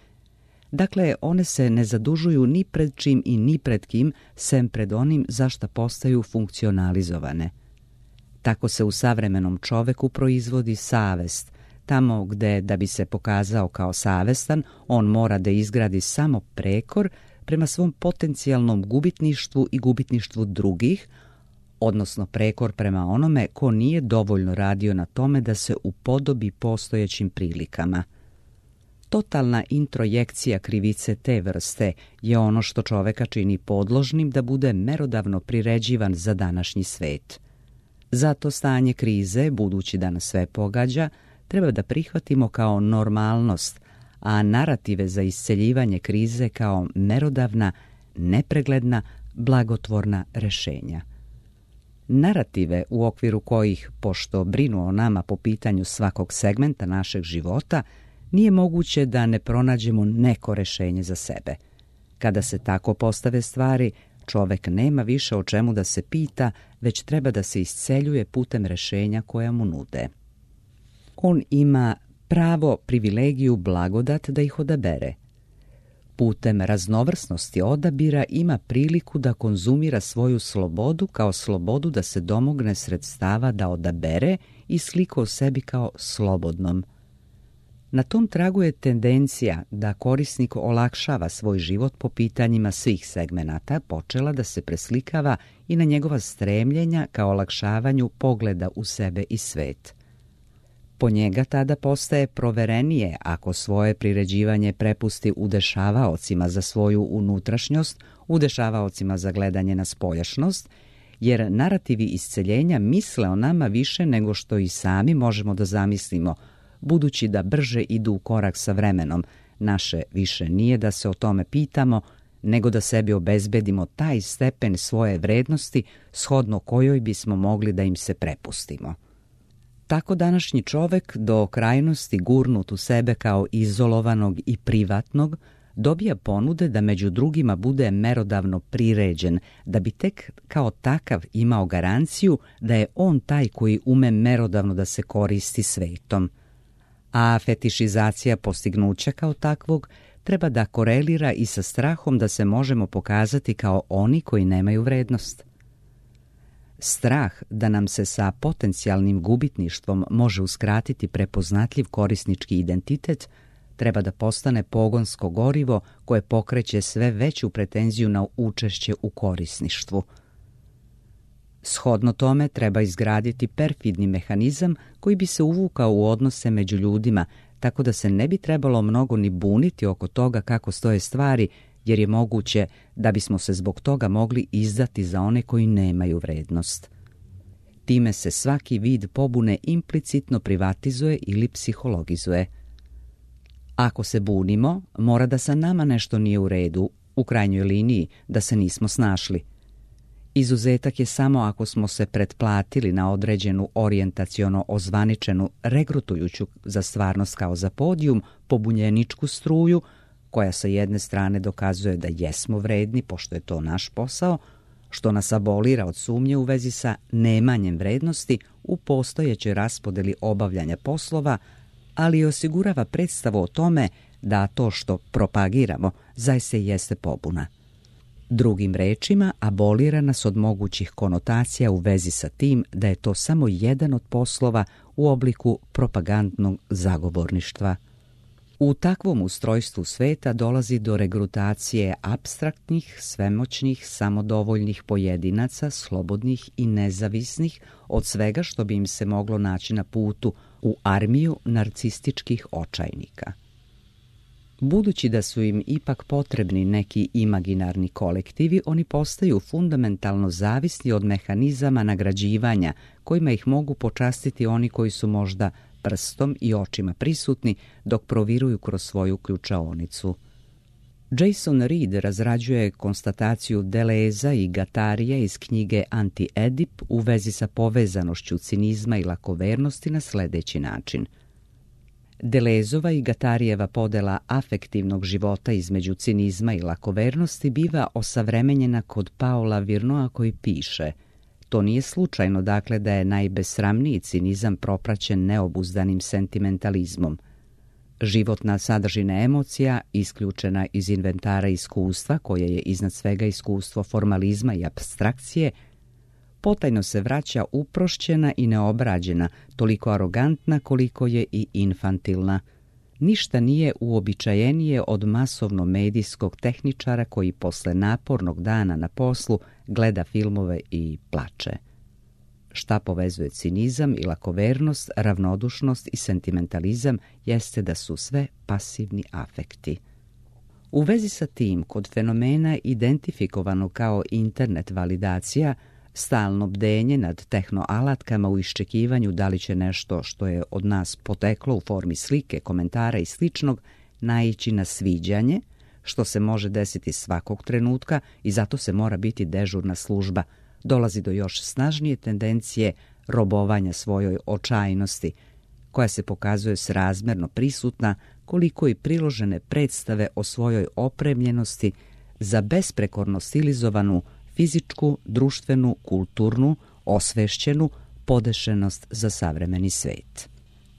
Dakle, one se ne zadužuju ni pred čim i ni pred kim, sem pred onim za šta postaju funkcionalizovane. Tako se u savremenom čoveku proizvodi savest, tamo gde, da bi se pokazao kao savestan, on mora da izgradi samo prekor prema svom potencijalnom gubitništvu i gubitništvu drugih, odnosno prekor prema onome ko nije dovoljno radio na tome da se upodobi postojećim prilikama. Totalna introjekcija krivice te vrste je ono što čoveka čini podložnim da bude merodavno priređivan za današnji svet. Zato stanje krize, budući da nas sve pogađa, treba da prihvatimo kao normalnost, a narative za isceljivanje krize kao merodavna, nepregledna, blagotvorna rešenja. Narative u okviru kojih, pošto brinu o nama po pitanju svakog segmenta našeg života, nije moguće da ne pronađemo neko rešenje za sebe. Kada se tako postave stvari, čovek nema više o čemu da se pita, već treba da se isceljuje putem rešenja koja mu nude. On ima pravo, privilegiju, blagodat da ih odabere. Putem raznovrsnosti odabira ima priliku da konzumira svoju slobodu kao slobodu da se domogne sredstava da odabere i sliku o sebi kao slobodnom. Na tom tragu je tendencija da korisnik olakšava svoj život po pitanjima svih segmenata počela da se preslikava i na njegova stremljenja ka olakšavanju pogleda u sebe i svet. Po njega tada postaje proverenije ako svoje priređivanje prepusti udešavaocima za svoju unutrašnjost, udešavaocima za gledanje na spoljašnost, jer narativi isceljenja misle o nama više nego što i sami možemo da zamislimo, budući da brže idu u korak sa vremenom. Naše više nije da se o tome pitamo, nego da sebi obezbedimo taj stepen svoje vrednosti shodno kojoj bismo mogli da im se prepustimo. Tako današnji čovek, do krajnosti gurnut u sebe kao izolovanog i privatnog, dobija ponude da među drugima bude merodavno priređen, da bi tek kao takav imao garanciju da je on taj koji ume merodavno da se koristi svetom. A fetišizacija postignuća kao takvog treba da korelira i sa strahom da se možemo pokazati kao oni koji nemaju vrednost. Strah da nam se sa potencijalnim gubitništvom može uskratiti prepoznatljiv korisnički identitet treba da postane pogonsko gorivo koje pokreće sve veću pretenziju na učešće u korisništvu. Shodno tome treba izgraditi perfidni mehanizam koji bi se uvukao u odnose među ljudima, tako da se ne bi trebalo mnogo ni buniti oko toga kako stoje stvari, jer je moguće da bismo se zbog toga mogli izdati za one koji nemaju vrednost. Time se svaki vid pobune implicitno privatizuje ili psihologizuje. Ako se bunimo, mora da sa nama nešto nije u redu, u krajnjoj liniji da se nismo snašli. Izuzetak je samo ako smo se pretplatili na određenu orijentaciono ozvaničenu, regrutujuću za stvarnost kao za podijum, pobunjeničku struju, koja sa jedne strane dokazuje da jesmo vredni, pošto je to naš posao, što nas abolira od sumnje u vezi sa nemanjem vrednosti u postojećoj raspodeli obavljanja poslova, ali osigurava predstavu o tome da to što propagiramo zaista jeste pobuna. Drugim rečima, abolira nas od mogućih konotacija u vezi sa tim da je to samo jedan od poslova u obliku propagandnog zagovorništva. U takvom ustrojstvu sveta dolazi do regrutacije apstraktnih, svemoćnih, samodovoljnih pojedinaca, slobodnih i nezavisnih od svega što bi im se moglo naći na putu u armiju narcističkih očajnika. Budući da su im ipak potrebni neki imaginarni kolektivi, oni postaju fundamentalno zavisni od mehanizama nagrađivanja kojima ih mogu počastiti oni koji su možda prstom i očima prisutni dok proviruju kroz svoju ključaonicu. Jason Reed razrađuje konstataciju Deleza i Gatarije iz knjige Anti-Edip u vezi sa povezanošću cinizma i lakovernosti na sljedeći način. Delezova i Gatarijeva podela afektivnog života između cinizma i lakovernosti biva osavremenjena kod Paola Virnoa koji piše: to nije slučajno, dakle, da je najbesramniji cinizam propraćen neobuzdanim sentimentalizmom. Životna sadržina emocija, isključena iz inventara iskustva, koje je iznad svega iskustvo formalizma i apstrakcije, potajno se vraća uprošćena i neobrađena, toliko arogantna koliko je i infantilna. Ništa nije uobičajenije od masovno-medijskog tehničara koji posle napornog dana na poslu gleda filmove i plače. Šta povezuje cinizam i lakovernost, ravnodušnost i sentimentalizam jeste da su sve pasivni afekti. U vezi sa tim, kod fenomena identifikovano kao internet validacija, stalno bdenje nad tehnoalatkama u iščekivanju da li će nešto što je od nas poteklo u formi slike, komentara i sličnog naići na sviđanje, što se može desiti svakog trenutka i zato se mora biti dežurna služba, dolazi do još snažnije tendencije robovanja svojoj očajnosti, koja se pokazuje srazmerno prisutna koliko i priložene predstave o svojoj opremljenosti za besprekorno stilizovanu fizičku, društvenu, kulturnu, osvešćenu podešenost za savremeni svet.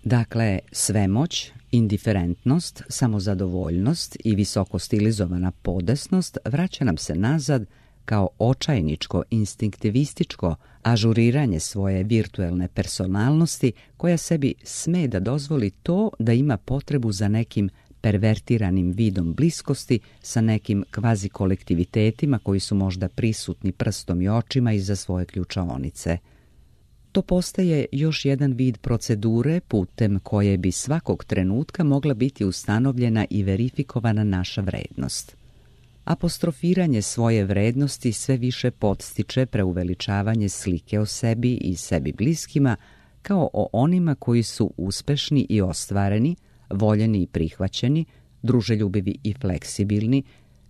Dakle, svemoć, indiferentnost, samozadovoljnost i visoko stilizovana podesnost vraća nam se nazad kao očajničko, instinktivističko ažuriranje svoje virtuelne personalnosti koja sebi sme da dozvoli to da ima potrebu za nekim pervertiranim vidom bliskosti sa nekim kvazi kolektivitetima koji su možda prisutni prstom i očima iza svoje ključaonice. To postaje još jedan vid procedure putem koje bi svakog trenutka mogla biti ustanovljena i verifikovana naša vrednost. Apostrofiranje svoje vrednosti sve više podstiče preuveličavanje slike o sebi i sebi bliskima kao o onima koji su uspešni i ostvareni, voljeni i prihvaćeni, druželjubivi i fleksibilni,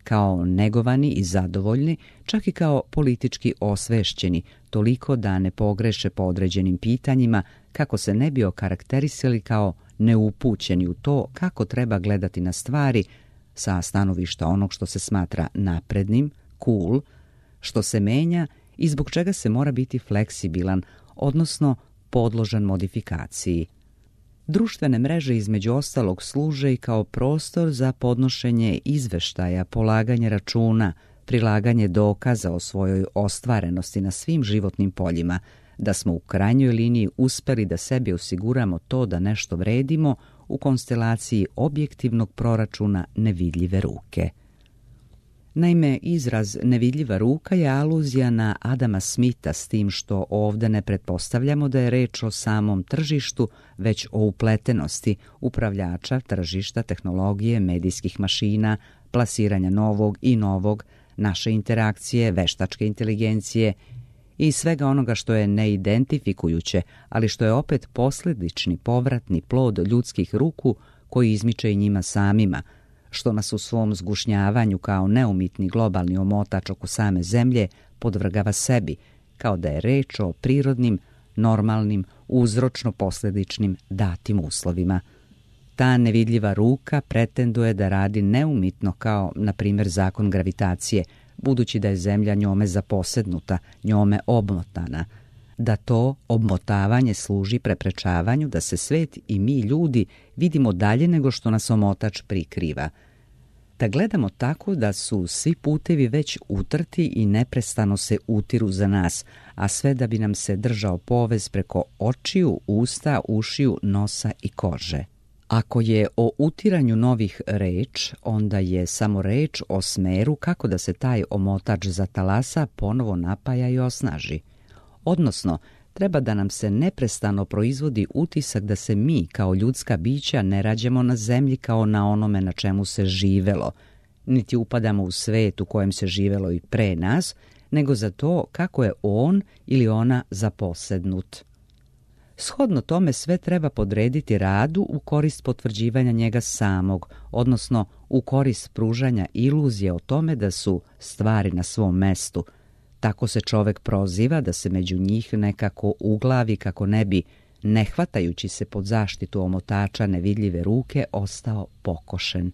kao negovani i zadovoljni, čak i kao politički osvešćeni, toliko da ne pogreše po određenim pitanjima kako se ne bi okarakterisali kao neupućeni u to kako treba gledati na stvari, sa stanovišta onog što se smatra naprednim, cool, što se menja i zbog čega se mora biti fleksibilan, odnosno podložan modifikaciji. Društvene mreže između ostalog služe i kao prostor za podnošenje izveštaja, polaganje računa, prilaganje dokaza o svojoj ostvarenosti na svim životnim poljima, da smo u krajnjoj liniji uspeli da sebi osiguramo to da nešto vredimo u konstelaciji objektivnog proračuna nevidljive ruke. Naime, izraz nevidljiva ruka je aluzija na Adama Smitha, s tim što ovde ne pretpostavljamo da je reč o samom tržištu, već o upletenosti upravljača tržišta, tehnologije, medijskih mašina, plasiranja novog i novog, naše interakcije, veštačke inteligencije i svega onoga što je neidentifikujuće, ali što je opet posljedični povratni plod ljudskih ruku koji izmiče i njima samima, što nas u svom zgušnjavanju kao neumitni globalni omotač oko same zemlje podvrgava sebi, kao da je reč o prirodnim, normalnim, uzročno-posljedičnim datim uslovima. Ta nevidljiva ruka pretenduje da radi neumitno kao, na primjer, zakon gravitacije, budući da je zemlja njome zaposednuta, njome obmotana, da to obmotavanje služi preprečavanju da se svet i mi ljudi vidimo dalje nego što nas omotač prikriva. Da gledamo tako da su svi putevi već utrti i neprestano se utiru za nas, a sve da bi nam se držao povez preko očiju, usta, ušiju, nosa i kože. Ako je o utiranju novih reč, onda je samo reč o smeru kako da se taj omotač zatalasa, ponovo napaja i osnaži. Odnosno, treba da nam se neprestano proizvodi utisak da se mi, kao ljudska bića, ne rađamo na zemlji kao na onome na čemu se živelo, niti upadamo u svet u kojem se živelo i pre nas, nego za to kako je on ili ona zaposednut. Shodno tome sve treba podrediti radu u korist potvrđivanja njega samog, odnosno u korist pružanja iluzije o tome da su stvari na svom mestu. Tako se čovek proziva da se među njih nekako uglavi kako ne bi, ne hvatajući se pod zaštitu omotača nevidljive ruke, ostao pokošen.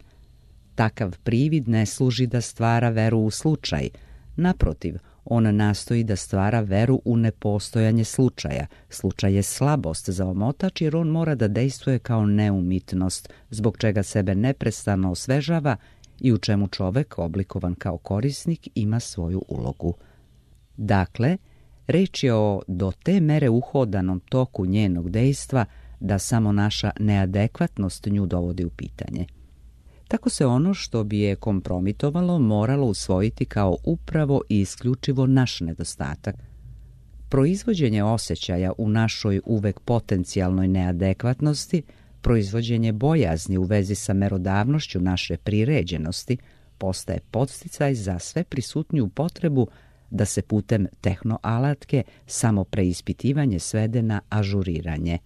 Takav privid ne služi da stvara veru u slučaj. Naprotiv, on nastoji da stvara veru u nepostojanje slučaja. Slučaj je slabost za omotač jer on mora da dejstvuje kao neumitnost, zbog čega sebe neprestano osvežava i u čemu čovek, oblikovan kao korisnik, ima svoju ulogu. Dakle, reč je o do te mere uhodanom toku njenog dejstva da samo naša neadekvatnost nju dovodi u pitanje. Tako se ono što bi je kompromitovalo moralo usvojiti kao upravo i isključivo naš nedostatak. Proizvođenje osjećaja u našoj uvek potencijalnoj neadekvatnosti, proizvođenje bojazni u vezi sa merodavnošću naše priređenosti, postaje podsticaj za sve prisutniju potrebu da se putem tehnoalatke samo preispitivanje svede na ažuriranje.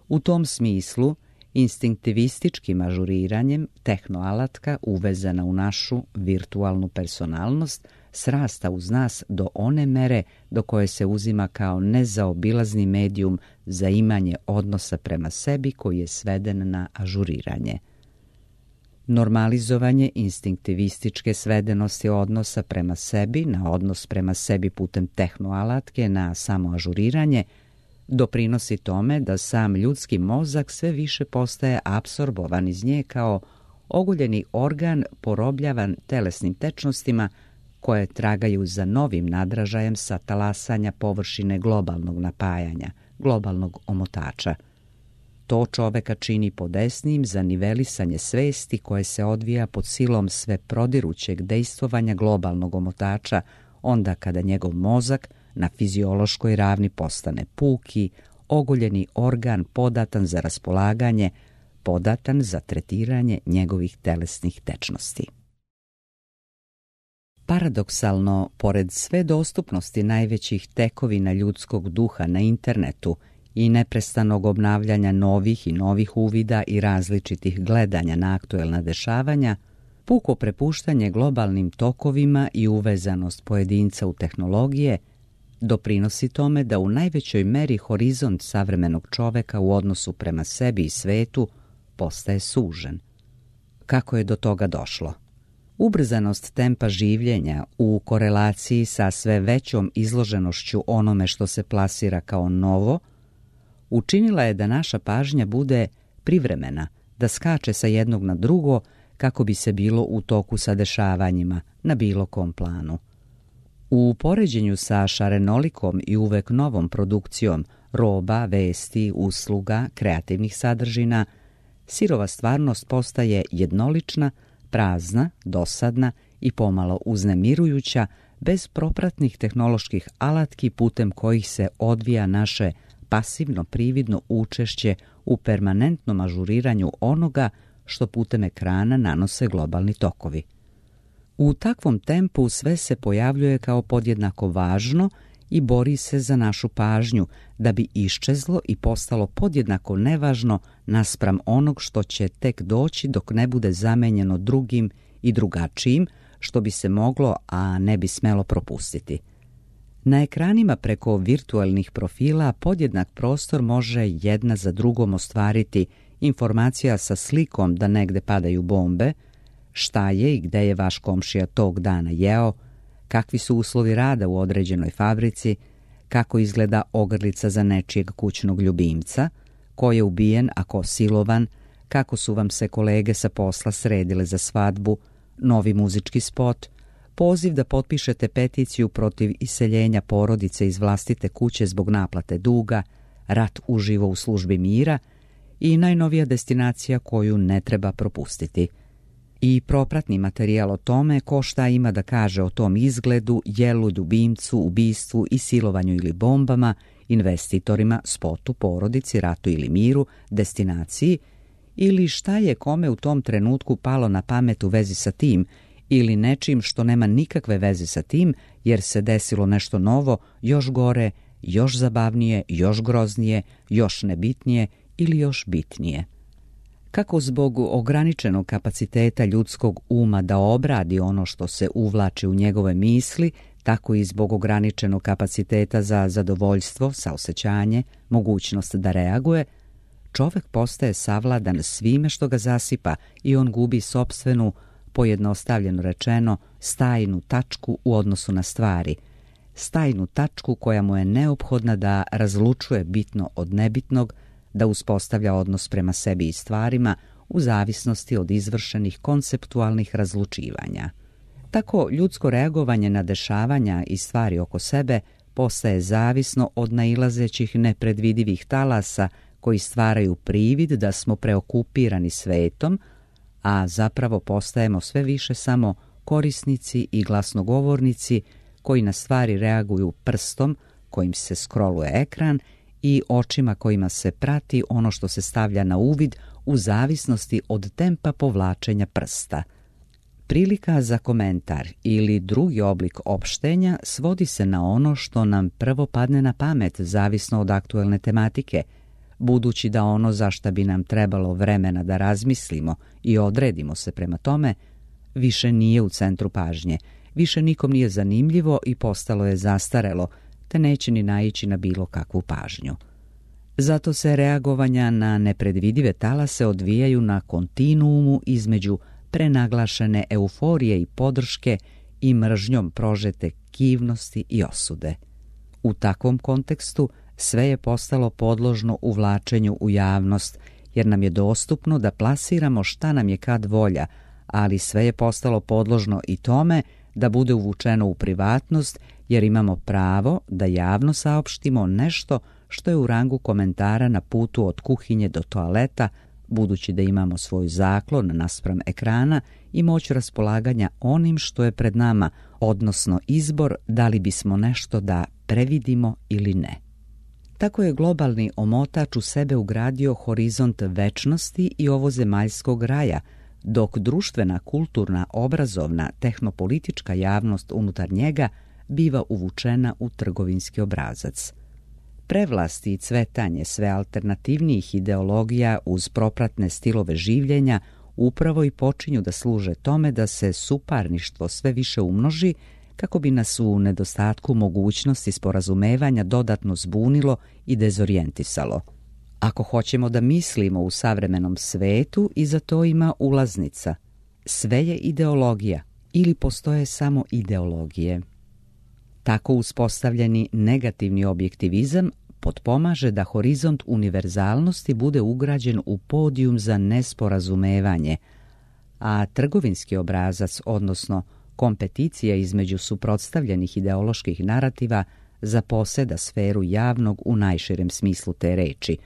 U tom smislu, instinktivističkim ažuriranjem tehnoalatka uvezana u našu virtualnu personalnost srasta uz nas do one mere do koje se uzima kao nezaobilazni medijum za imanje odnosa prema sebi koji je sveden na ažuriranje. Normalizovanje instinktivističke svedenosti odnosa prema sebi na odnos prema sebi putem tehnoalatke na samo ažuriranje doprinosi tome da sam ljudski mozak sve više postaje apsorbovan iz nje kao oguljeni organ porobljavan telesnim tečnostima koje tragaju za novim nadražajem sa talasanja površine globalnog napajanja, globalnog omotača. To čoveka čini podesnijim za nivelisanje svesti koje se odvija pod silom sve prodirućeg dejstvovanja globalnog omotača, onda kada njegov mozak na fiziološkoj ravni postane puki, oguljeni organ podatan za raspolaganje, podatan za tretiranje njegovih telesnih tečnosti. Paradoksalno, pored sve dostupnosti najvećih tekovina ljudskog duha na internetu i neprestanog obnavljanja novih i novih uvida i različitih gledanja na aktuelna dešavanja, puko prepuštanje globalnim tokovima i uvezanost pojedinca u tehnologije doprinosi tome da u najvećoj meri horizont savremenog čoveka u odnosu prema sebi i svetu postaje sužen. kako je do toga došlo. Ubrzanost tempa življenja u korelaciji sa sve većom izloženošću onome što se plasira kao novo, učinila je da naša pažnja bude privremena, da skače sa jednog na drugo kako bi se bilo u toku sa dešavanjima na bilo kom planu. U poređenju sa šarenolikom i uvek novom produkcijom roba, vesti, usluga, kreativnih sadržina, sirova stvarnost postaje jednolična, prazna, dosadna i pomalo uznemirujuća, bez propratnih tehnoloških alatki putem kojih se odvija naše pasivno prividno učešće u permanentnom ažuriranju onoga što putem ekrana nanose globalni tokovi. U takvom tempu sve se pojavljuje kao podjednako važno i bori se za našu pažnju, da bi iščezlo i postalo podjednako nevažno naspram onog što će tek doći dok ne bude zamenjeno drugim i drugačijim, što bi se moglo, a ne bi smelo propustiti. Na ekranima preko virtualnih profila podjednak prostor može jedna za drugom ostvariti informacija sa slikom da negde padaju bombe, šta je i gde je vaš komšija tog dana jeo, kakvi su uslovi rada u određenoj fabrici, kako izgleda ogrlica za nečijeg kućnog ljubimca, ko je ubijen, a ko silovan, kako su vam se kolege sa posla sredile za svadbu, novi muzički spot, poziv da potpišete peticiju protiv iseljenja porodice iz vlastite kuće zbog naplate duga, rat uživo u službi mira i najnovija destinacija koju ne treba propustiti. I propratni materijal o tome ko šta ima da kaže o tom izgledu, jelu, ljubimcu, ubistvu i silovanju ili bombama, investitorima, spotu, porodici, ratu ili miru, destinaciji, ili šta je kome u tom trenutku palo na pamet u vezi sa tim, ili nečim što nema nikakve veze sa tim, jer se desilo nešto novo, još gore, još zabavnije, još groznije, još nebitnije ili još bitnije. Kako zbog ograničenog kapaciteta ljudskog uma da obradi ono što se uvlači u njegove misli, tako i zbog ograničenog kapaciteta za zadovoljstvo, saosećanje, mogućnost da reaguje, čovek postaje savladan svime što ga zasipa i on gubi sopstvenu, pojednostavljeno rečeno, stajnu tačku u odnosu na stvari, stajnu tačku koja mu je neophodna da razlučuje bitno od nebitnog, da uspostavlja odnos prema sebi i stvarima u zavisnosti od izvršenih konceptualnih razlučivanja. Tako ljudsko reagovanje na dešavanja i stvari oko sebe postaje zavisno od nailazećih nepredvidivih talasa koji stvaraju privid da smo preokupirani svetom, a zapravo postajemo sve više samo korisnici i glasnogovornici koji na stvari reaguju prstom kojim se skroluje ekran i očima kojima se prati ono što se stavlja na uvid u zavisnosti od tempa povlačenja prsta. Prilika za komentar ili drugi oblik opštenja svodi se na ono što nam prvo padne na pamet, zavisno od aktuelne tematike, budući da ono za šta bi nam trebalo vremena da razmislimo i odredimo se prema tome, više nije u centru pažnje, više nikom nije zanimljivo i postalo je zastarelo, te neće ni naići na bilo kakvu pažnju. Zato se reagovanja na nepredvidive talase odvijaju na kontinuumu između prenaglašene euforije i podrške i mržnjom prožete kivnosti i osude. U takvom kontekstu sve je postalo podložno uvlačenju u javnost, jer nam je dostupno da plasiramo šta nam je kad volja, ali sve je postalo podložno i tome da bude uvučeno u privatnost, jer imamo pravo da javno saopštimo nešto što je u rangu komentara na putu od kuhinje do toaleta, budući da imamo svoj zaklon naspram ekrana i moć raspolaganja onim što je pred nama, odnosno izbor da li bismo nešto da previdimo ili ne. Tako je globalni omotač u sebe ugradio horizont večnosti i ovozemaljskog raja, dok društvena, kulturna, obrazovna, tehnopolitička javnost unutar njega biva uvučena u trgovinski obrazac. Prevlasti i cvetanje sve alternativnijih ideologija uz propratne stilove življenja upravo i počinju da služe tome da se suparništvo sve više umnoži, kako bi nas u nedostatku mogućnosti sporazumevanja dodatno zbunilo i dezorijentisalo. Ako hoćemo da mislimo u savremenom svetu, i za to ima ulaznica. Sve je ideologija ili postoje samo ideologije. Tako uspostavljeni negativni objektivizam potpomaže da horizont univerzalnosti bude ugrađen u podijum za nesporazumevanje, a trgovinski obrazac, odnosno kompeticija između suprotstavljenih ideoloških narativa, zaposeda sferu javnog u najširem smislu te reči,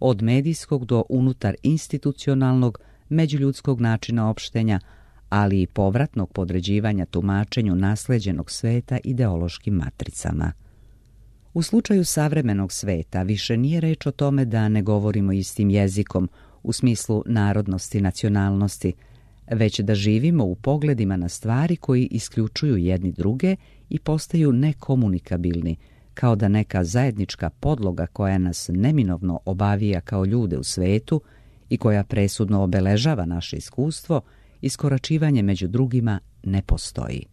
od medijskog do unutar institucionalnog, međuljudskog načina opštenja, ali i povratnog podređivanja tumačenju nasleđenog sveta ideološkim matricama. U slučaju savremenog sveta više nije reč o tome da ne govorimo istim jezikom u smislu narodnosti, nacionalnosti, već da živimo u pogledima na stvari koji isključuju jedni druge i postaju nekomunikabilni, kao da neka zajednička podloga koja nas neminovno obavija kao ljude u svetu i koja presudno obeležava naše iskustvo, iskoračivanje među drugima ne postoji.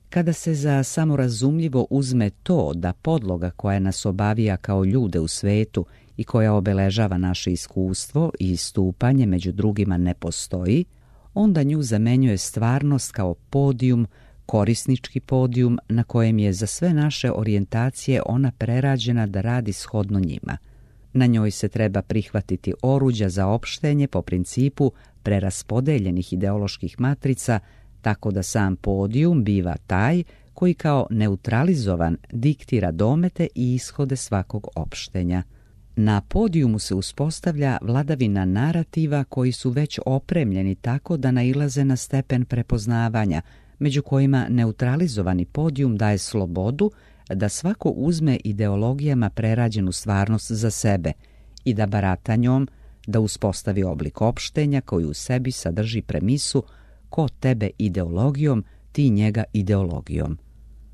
Kada se za samorazumljivo uzme to da podloga koja nas obavija kao ljude u svetu i koja obeležava naše iskustvo i istupanje među drugima ne postoji, onda nju zamenjuje stvarnost kao podijum, korisnički podijum na kojem je za sve naše orijentacije ona prerađena da radi shodno njima. Na njoj se treba prihvatiti oruđa za opštenje po principu preraspodeljenih ideoloških matrica, tako da sam podijum biva taj koji kao neutralizovan diktira domete i ishode svakog opštenja. Na podijumu se uspostavlja vladavina narativa koji su već opremljeni tako da nailaze na stepen prepoznavanja, među kojima neutralizovani podijum daje slobodu da svako uzme ideologijama prerađenu stvarnost za sebe i da barata njom, da uspostavi oblik opštenja koji u sebi sadrži premisu ko tebe ideologijom, ti njega ideologijom.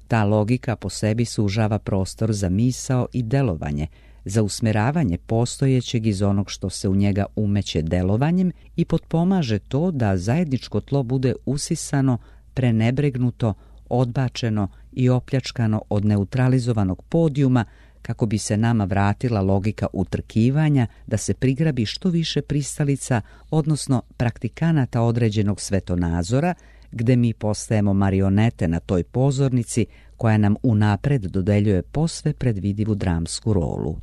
Ta logika po sebi sužava prostor za misao i delovanje, za usmeravanje postojećeg iz onog što se u njega umeće delovanjem i potpomaže to da zajedničko tlo bude usisano, prenebregnuto, odbačeno i opljačkano od neutralizovanog podijuma kako bi se nama vratila logika utrkivanja da se prigrabi što više pristalica, odnosno praktikanata određenog svetonazora, gde mi postajemo marionete na toj pozornici koja nam unapred dodeljuje posve predvidivu dramsku rolu.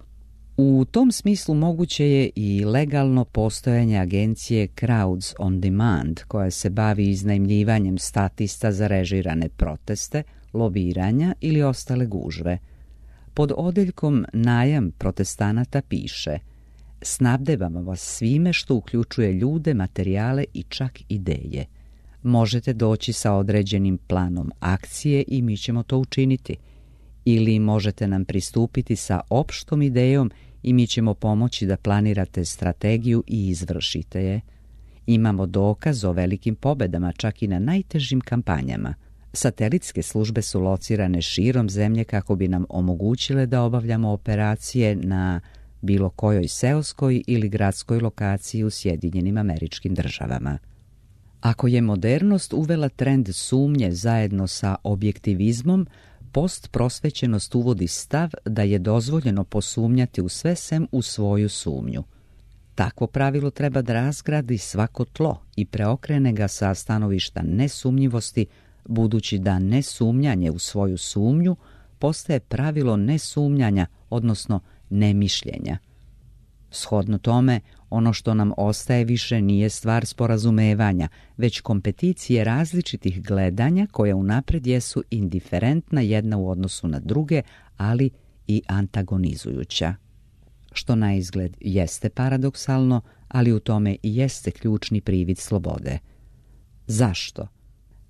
U tom smislu moguće je i legalno postojanje agencije Crowds on Demand, koja se bavi iznajmljivanjem statista za režirane proteste, lobiranja ili ostale gužve. Pod odeljkom najam protestanata piše: snabdevamo vas svime što uključuje ljude, materijale i čak ideje. Možete doći sa određenim planom akcije i mi ćemo to učiniti. Ili možete nam pristupiti sa opštom idejom i mi ćemo pomoći da planirate strategiju i izvršite je. Imamo dokaz o velikim pobedama čak i na najtežim kampanjama. Satelitske službe su locirane širom zemlje kako bi nam omogućile da obavljamo operacije na bilo kojoj seoskoj ili gradskoj lokaciji u Sjedinjenim Američkim Državama. Ako je modernost uvela trend sumnje zajedno sa objektivizmom, postprosvećenost uvodi stav da je dozvoljeno posumnjati u sve sem u svoju sumnju. Takvo pravilo treba da razgradi svako tlo i preokrene ga sa stanovišta nesumnjivosti, budući da nesumnjanje u svoju sumnju postaje pravilo nesumnjanja, odnosno nemišljenja. Shodno tome, ono što nam ostaje više nije stvar sporazumevanja, već kompeticije različitih gledanja koja unapred jesu indiferentna jedna u odnosu na druge, ali i antagonizujuća. Što na izgled jeste paradoksalno, ali u tome i jeste ključni privid slobode. Zašto?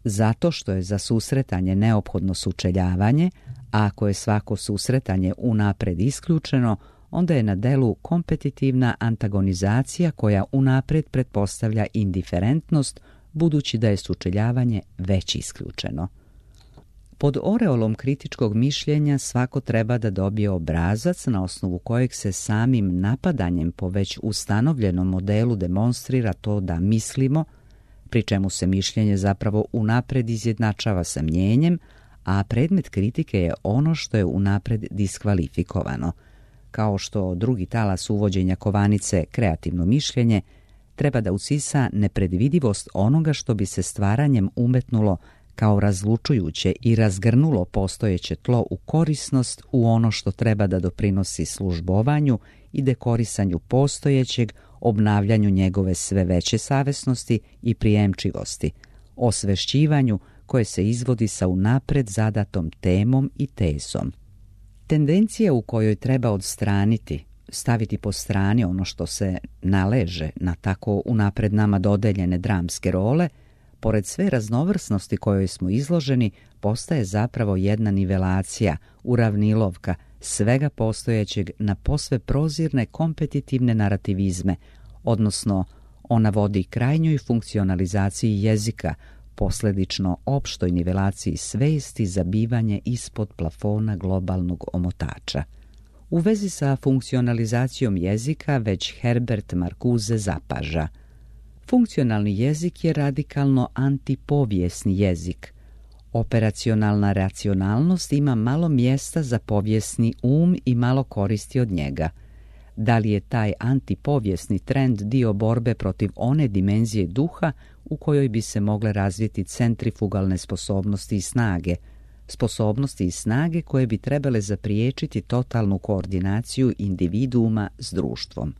Zato što je za susretanje neophodno sučeljavanje, a ako je svako susretanje unapred isključeno, onda je na delu kompetitivna antagonizacija koja unapred pretpostavlja indiferentnost, budući da je sučeljavanje već isključeno. Pod oreolom kritičkog mišljenja svako treba da dobije obrazac na osnovu kojeg se samim napadanjem po već ustanovljenom modelu demonstrira to da mislimo, pri čemu se mišljenje zapravo unapred izjednačava sa mnjenjem, a predmet kritike je ono što je unapred diskvalifikovano. kao što drugi talas uvođenja kovanice kreativno mišljenje, treba da usisa nepredvidivost onoga što bi se stvaranjem umetnulo kao razlučujuće i razgrnulo postojeće tlo u korisnost u ono što treba da doprinosi službovanju i dekorisanju postojećeg, obnavljanju njegove sve veće savesnosti i prijemčivosti, osvešćivanju koje se izvodi sa unapred zadatom temom i tezom. Tendencija u kojoj treba odstraniti, staviti po strani ono što se naleže na tako unapred nama dodeljene dramske role, pored sve raznovrsnosti kojoj smo izloženi, postaje zapravo jedna nivelacija, uravnilovka svega postojećeg na posve prozirne kompetitivne narativizme, odnosno ona vodi krajnjoj funkcionalizaciji jezika, posledično opštoj nivelaciji svesti za bivanje ispod plafona globalnog omotača. U vezi sa funkcionalizacijom jezika već Herbert Marcuse zapaža: funkcionalni jezik je radikalno antipovijesni jezik. Operacionalna racionalnost ima malo mjesta za povijesni um i malo koristi od njega. Da li je taj antipovijesni trend dio borbe protiv one dimenzije duha u kojoj bi se mogle razviti centrifugalne sposobnosti i snage, sposobnosti i snage koje bi trebale zapriječiti totalnu koordinaciju individuuma s društvom?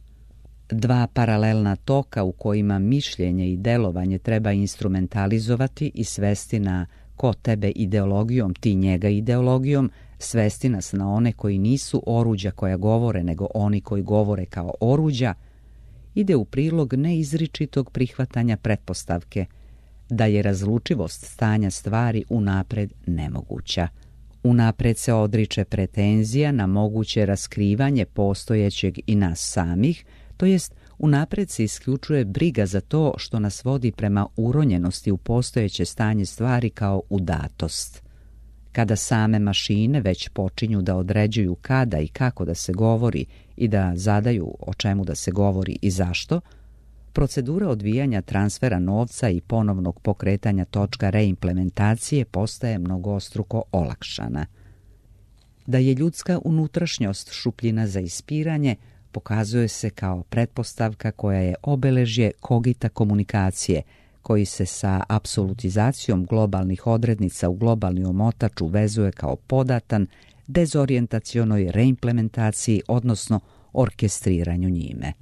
Dva paralelna toka u kojima mišljenje i delovanje treba instrumentalizovati i svesti na ko tebe ideologijom, ti njega ideologijom, svesti nas na one koji nisu oruđa koja govore, nego oni koji govore kao oruđa, ide u prilog neizričitog prihvatanja pretpostavke da je razlučivost stanja stvari unapred nemoguća. Unapred se odriče pretenzija na moguće raskrivanje postojećeg i nas samih, to jest unapred se isključuje briga za to što nas vodi prema uronjenosti u postojeće stanje stvari kao udatost. Kada same mašine već počinju da određuju kada i kako da se govori i da zadaju o čemu da se govori i zašto, procedura odvijanja transfera novca i ponovnog pokretanja točka reimplementacije postaje mnogostruko olakšana. Da je ljudska unutrašnjost šupljina za ispiranje pokazuje se kao pretpostavka koja je obeležje kogita komunikacije, koji se sa apsolutizacijom globalnih odrednica u globalni omotač uvezuje kao podatan dezorijentacionoj reimplementaciji, odnosno orkestriranju njime.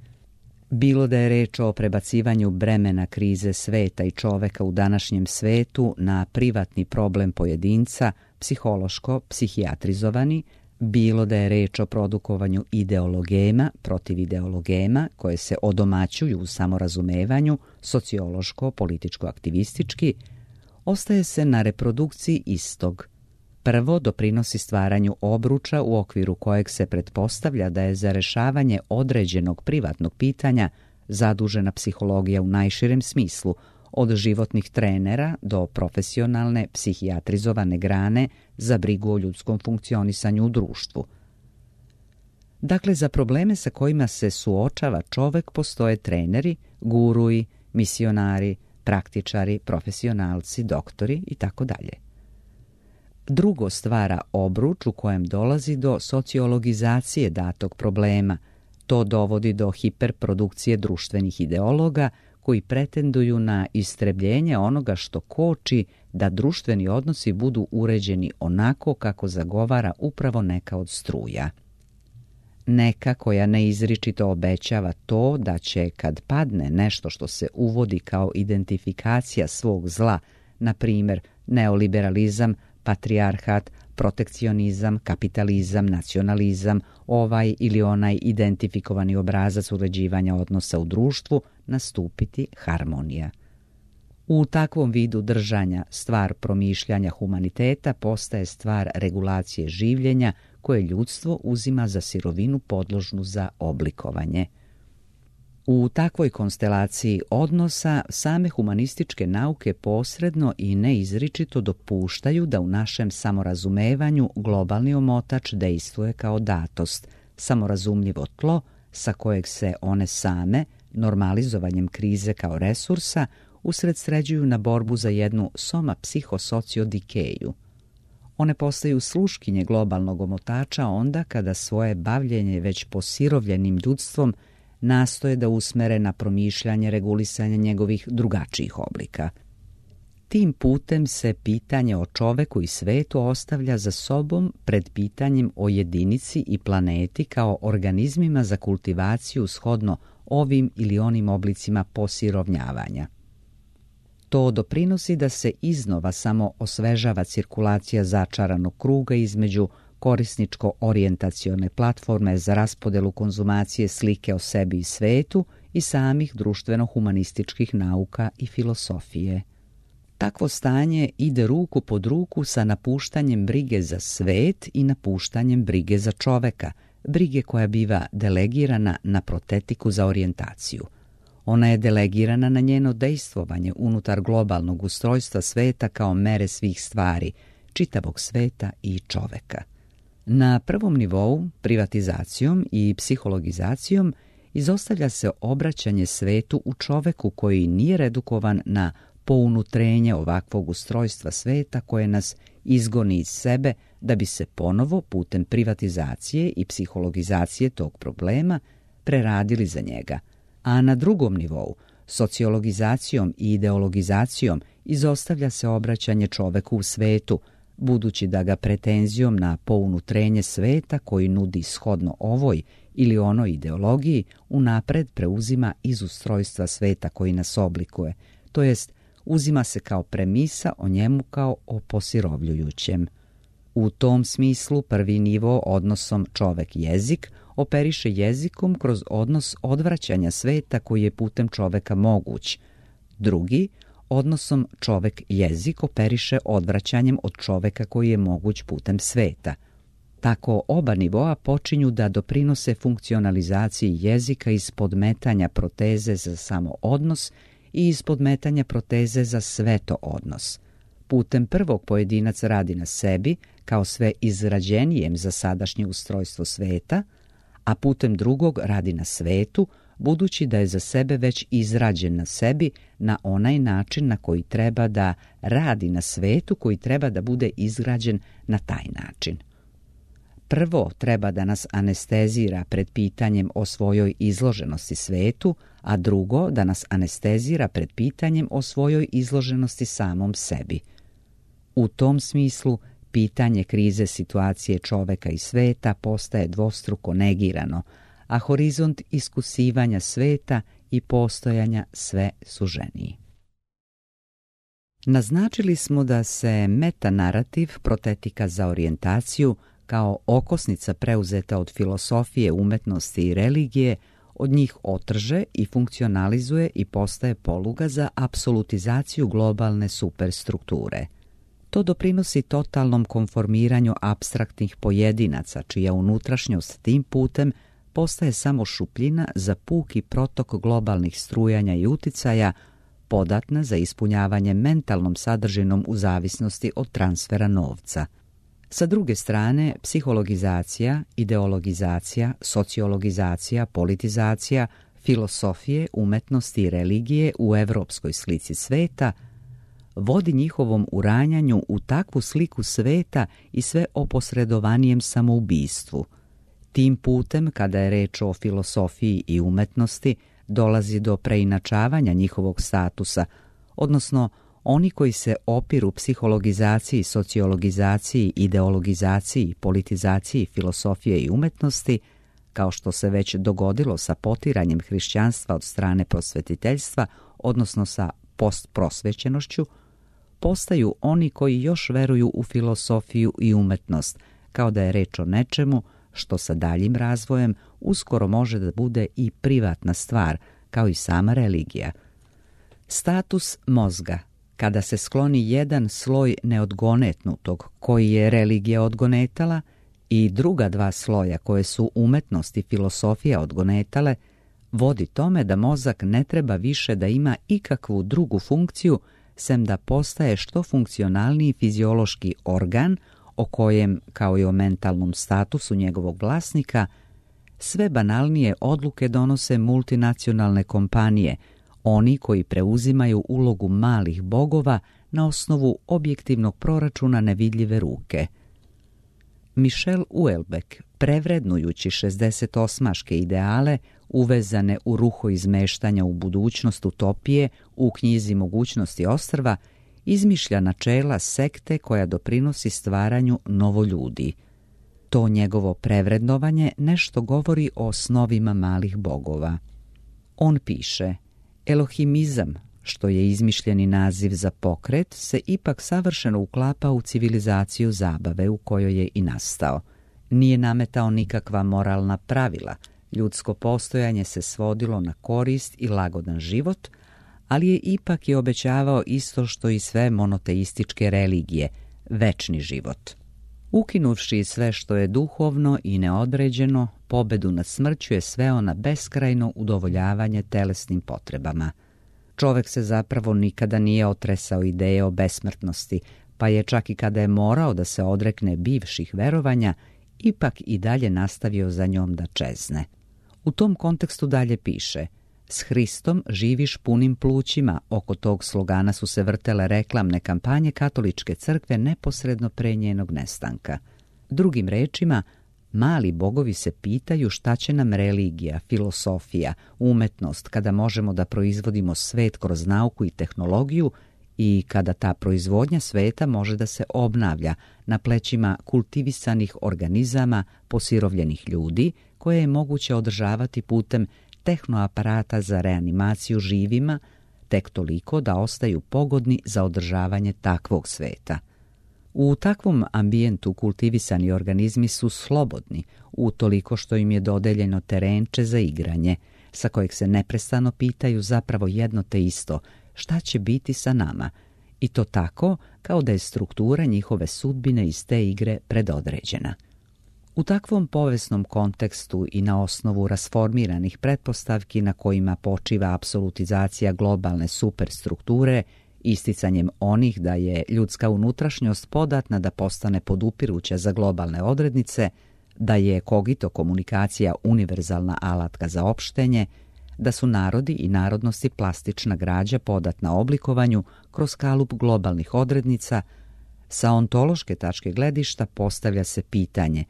Bilo da je reč o prebacivanju bremena krize sveta i čoveka u današnjem svetu na privatni problem pojedinca, psihološko psihijatrizovani, bilo da je reč o produkovanju ideologema protiv ideologema koje se odomaćuju u samorazumevanju, sociološko-političko-aktivistički, ostaje se na reprodukciji istog. Prvo doprinosi stvaranju obruča u okviru kojeg se pretpostavlja da je za rešavanje određenog privatnog pitanja zadužena psihologija u najširem smislu, od životnih trenera do profesionalne psihijatrizovane grane za brigu o ljudskom funkcionisanju u društvu. Dakle, za probleme sa kojima se suočava čovek postoje treneri, guruji, misionari, praktičari, profesionalci, doktori i tako dalje. Drugo stvara obruč u kojem dolazi do sociologizacije datog problema. To dovodi do hiperprodukcije društvenih ideologa koji pretenduju na istrebljenje onoga što koči da društveni odnosi budu uređeni onako kako zagovara upravo neka od struja. Neka koja neizričito obećava to da će, kad padne nešto što se uvodi kao identifikacija svog zla, na primjer neoliberalizam, patrijarhat, protekcionizam, kapitalizam, nacionalizam, ovaj ili onaj identifikovani obrazac uređivanja odnosa u društvu, nastupiti harmonija. U takvom vidu držanja stvar promišljanja humaniteta postaje stvar regulacije življenja koje ljudstvo uzima za sirovinu podložnu za oblikovanje. U takvoj konstelaciji odnosa same humanističke nauke posredno i neizričito dopuštaju da u našem samorazumevanju globalni omotač dejstvuje kao datost, samorazumljivo tlo sa kojeg se one same, normalizovanjem krize kao resursa, usredsređuju na borbu za jednu soma psihosociodikeju. One postaju sluškinje globalnog omotača onda kada svoje bavljenje već posirovljenim ljudstvom nastoje da usmere na promišljanje regulisanja njegovih drugačijih oblika. Tim putem se pitanje o čoveku i svetu ostavlja za sobom pred pitanjem o jedinici i planeti kao organizmima za kultivaciju shodno ovim ili onim oblicima posirovnjavanja. To doprinosi da se iznova samo osvežava cirkulacija začaranog kruga između korisničko-orijentacione platforme za raspodelu konzumacije slike o sebi i svetu i samih društveno-humanističkih nauka i filosofije. Takvo stanje ide ruku pod ruku sa napuštanjem brige za svet i napuštanjem brige za čoveka, brige koja biva delegirana na protetiku za orijentaciju. Ona je delegirana na njeno dejstvovanje unutar globalnog ustrojstva sveta kao mere svih stvari, čitavog sveta i čoveka. Na prvom nivou, privatizacijom i psihologizacijom, izostavlja se obraćanje svetu u čoveku koji nije redukovan na pounutrenje ovakvog ustrojstva sveta koje nas izgoni iz sebe da bi se ponovo putem privatizacije i psihologizacije tog problema preradili za njega. A na drugom nivou, sociologizacijom i ideologizacijom, izostavlja se obraćanje čoveku u svetu, budući da ga pretenzijom na pounutrenje sveta koji nudi shodno ovoj ili onoj ideologiji unapred preuzima iz ustrojstva sveta koji nas oblikuje, to jest uzima se kao premisa o njemu kao o posirovljujućem. U tom smislu prvi nivo odnosom čovek-jezik operiše jezikom kroz odnos odvraćanja sveta koji je putem čoveka moguć. Drugi, odnosom čovek-jezik operiše odvraćanjem od čoveka koji je moguć putem sveta. Tako oba nivoa počinju da doprinose funkcionalizaciji jezika iz podmetanja proteze za samo odnos i iz podmetanja proteze za sveto odnos. Putem prvog pojedinac radi na sebi kao sve izrađenijem za sadašnje ustrojstvo sveta, a putem drugog radi na svetu, budući da je za sebe već izrađen na sebi na onaj način na koji treba da radi na svetu koji treba da bude izgrađen na taj način. Prvo treba da nas anestezira pred pitanjem o svojoj izloženosti svetu, a drugo da nas anestezira pred pitanjem o svojoj izloženosti samom sebi. U tom smislu, pitanje krize situacije čoveka i sveta postaje dvostruko negirano, a horizont iskusivanja sveta i postojanja sve suženiji. Naznačili smo da se metanarativ protetika za orijentaciju kao okosnica preuzeta od filosofije, umetnosti i religije od njih otrže i funkcionalizuje i postaje poluga za apsolutizaciju globalne superstrukture. To doprinosi totalnom konformiranju apstraktnih pojedinaca, čija unutrašnjost tim putem postaje samo šupljina za puki protok globalnih strujanja i uticaja, podatna za ispunjavanje mentalnom sadržinom u zavisnosti od transfera novca. Sa druge strane, psihologizacija, ideologizacija, sociologizacija, politizacija, filosofije, umetnosti i religije u evropskoj slici sveta vodi njihovom uranjanju u takvu sliku sveta i sve oposredovanijem samoubistvu. Tim putem, kada je reč o filosofiji i umetnosti, dolazi do preinačavanja njihovog statusa, odnosno oni koji se opiru psihologizaciji, sociologizaciji, ideologizaciji, politizaciji, filosofije i umetnosti, kao što se već dogodilo sa potiranjem hrišćanstva od strane prosvetiteljstva, odnosno sa postprosvećenošću, postaju oni koji još veruju u filosofiju i umetnost, kao da je reč o nečemu što sa daljim razvojem uskoro može da bude i privatna stvar, kao i sama religija. Status mozga, kada se skloni jedan sloj neodgonetnutog koji je religija odgonetala i druga dva sloja koje su umetnost i filosofija odgonetale, vodi tome da mozak ne treba više da ima ikakvu drugu funkciju sem da postaje što funkcionalniji fiziološki organ o kojem, kao i o mentalnom statusu njegovog vlasnika, sve banalnije odluke donose multinacionalne kompanije, oni koji preuzimaju ulogu malih bogova na osnovu objektivnog proračuna nevidljive ruke. Michel Houellebecq, prevrednujući šezdesetosmaške ideale uvezane u ruho izmeštanja u budućnost utopije u knjizi Mogućnosti ostrva, izmišlja načela sekte koja doprinosi stvaranju novoljudi. To njegovo prevrednovanje nešto govori o osnovima malih bogova. On piše: Elohimizam, što je izmišljeni naziv za pokret, se ipak savršeno uklapa u civilizaciju zabave u kojoj je i nastao. Nije nametao nikakva moralna pravila, ljudsko postojanje se svodilo na korist i lagodan život, ali je ipak i obećavao isto što i sve monoteističke religije, večni život. Ukinuvši sve što je duhovno i neodređeno, pobedu nad smrću je sveo na beskrajno udovoljavanje telesnim potrebama. Čovek se zapravo nikada nije otresao ideje o besmrtnosti, pa je čak i kada je morao da se odrekne bivših verovanja, ipak i dalje nastavio za njom da čezne. U tom kontekstu dalje piše: S Hristom živiš punim plućima. Oko tog slogana su se vrtele reklamne kampanje katoličke crkve neposredno pre njenog nestanka. Drugim rečima, mali bogovi se pitaju šta će nam religija, filosofija, umetnost kada možemo da proizvodimo svet kroz nauku i tehnologiju i kada ta proizvodnja sveta može da se obnavlja na plećima kultivisanih organizama, posirovljenih ljudi, koje je moguće održavati putem tehnoaparata za reanimaciju živima, tek toliko da ostaju pogodni za održavanje takvog sveta. U takvom ambijentu kultivisani organizmi su slobodni, utoliko što im je dodeljeno terenče za igranje, sa kojeg se neprestano pitaju zapravo jedno te isto: šta će biti sa nama? I to tako kao da je struktura njihove sudbine iz te igre predodređena. U takvom povijesnom kontekstu i na osnovu rasformiranih pretpostavki na kojima počiva apsolutizacija globalne superstrukture, isticanjem onih da je ljudska unutrašnjost podatna da postane podupiruća za globalne odrednice, da je kogito komunikacija univerzalna alatka za opštenje, da su narodi i narodnosti plastična građa podatna oblikovanju kroz kalup globalnih odrednica, sa ontološke tačke gledišta postavlja se pitanje: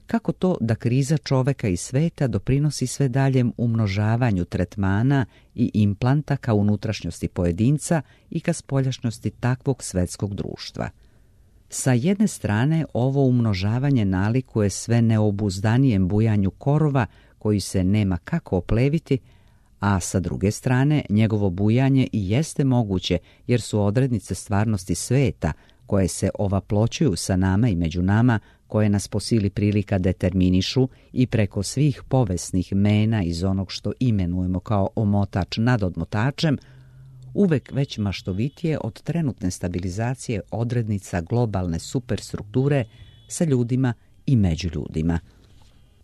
kako to da kriza čoveka i sveta doprinosi sve daljem umnožavanju tretmana i implanta ka unutrašnjosti pojedinca i ka spoljašnjosti takvog svetskog društva? Sa jedne strane, ovo umnožavanje nalikuje sve neobuzdanijem bujanju korova koji se nema kako opleviti, a sa druge strane, njegovo bujanje i jeste moguće jer su odrednice stvarnosti sveta koje se ovaploćuju sa nama i među nama, koje nas po sili prilika determinišu i preko svih povesnih mena iz onog što imenujemo kao omotač nad odmotačem, uvek već maštovitije od trenutne stabilizacije odrednica globalne superstrukture sa ljudima i među ljudima.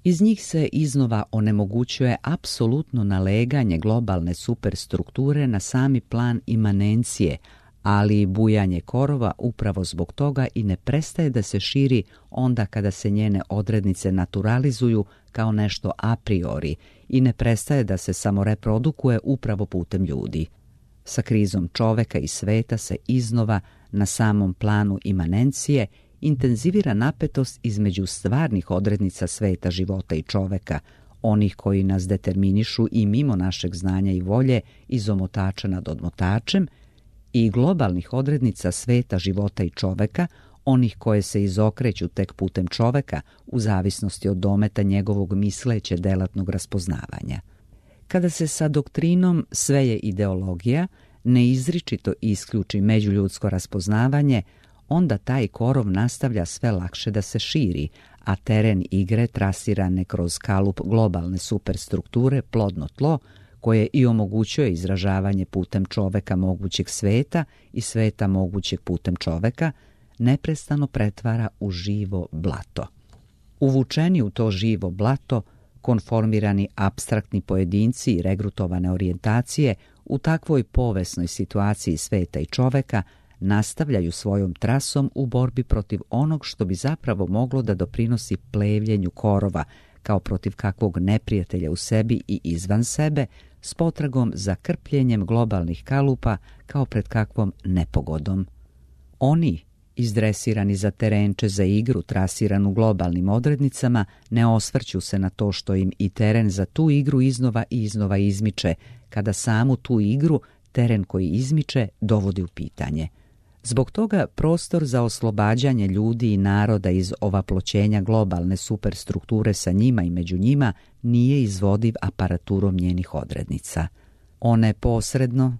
Iz njih se iznova onemogućuje apsolutno naleganje globalne superstrukture na sami plan imanencije, ali bujanje korova upravo zbog toga i ne prestaje da se širi onda kada se njene odrednice naturalizuju kao nešto a priori i ne prestaje da se samoreprodukuje upravo putem ljudi. Sa krizom čoveka i sveta se iznova na samom planu imanencije intenzivira napetost između stvarnih odrednica sveta, života i čoveka, onih koji nas determinišu i mimo našeg znanja i volje iz omotača nad odmotačem, i globalnih odrednica sveta, života i čoveka, onih koje se izokreću tek putem čoveka u zavisnosti od dometa njegovog misleće delatnog raspoznavanja. Kada se sa doktrinom sve je ideologija neizričito isključi međuljudsko raspoznavanje, onda taj korov nastavlja sve lakše da se širi, a teren igre trasirane kroz kalup globalne superstrukture, plodno tlo, koje i omogućuje izražavanje putem čoveka mogućeg sveta i sveta mogućeg putem čoveka, neprestano pretvara u živo blato. Uvučeni u to živo blato, konformirani apstraktni pojedinci i regrutovane orijentacije u takvoj povesnoj situaciji sveta i čoveka nastavljaju svojom trasom u borbi protiv onog što bi zapravo moglo da doprinosi plevljenju korova, kao protiv kakvog neprijatelja u sebi i izvan sebe, s potragom za krpljenjem globalnih kalupa kao pred kakvom nepogodom. Oni, izdresirani za terenče za igru trasiranu globalnim odrednicama, ne osvrću se na to što im i teren za tu igru iznova i iznova izmiče, kada samu tu igru teren koji izmiče dovodi u pitanje. Zbog toga prostor za oslobađanje ljudi i naroda iz ovaploćenja globalne superstrukture sa njima i među njima nije izvodiv aparaturom njenih odrednica. One posredno,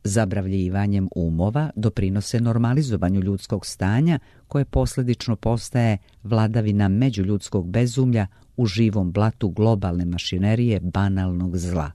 zabravljivanjem umova, doprinose normalizovanju ljudskog stanja koje posljedično postaje vladavina međuljudskog bezumlja u živom blatu globalne mašinerije banalnog zla.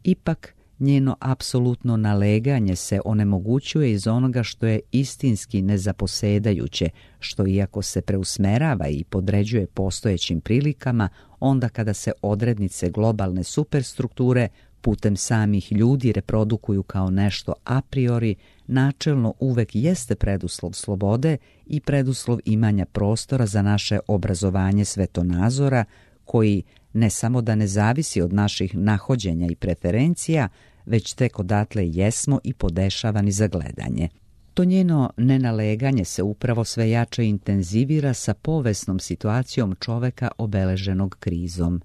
Ipak, njeno apsolutno naleganje se onemogućuje iz onoga što je istinski nezaposedajuće, što iako se preusmerava i podređuje postojećim prilikama, onda kada se odrednice globalne superstrukture putem samih ljudi reprodukuju kao nešto a priori, načelno uvek jeste preduslov slobode i preduslov imanja prostora za naše obrazovanje svetonazora, koji ne samo da ne zavisi od naših nahođenja i preferencija, već tek odatle jesmo i podešavani za gledanje. To njeno nenaleganje se upravo sve jače intenzivira sa povesnom situacijom čoveka obeleženog krizom.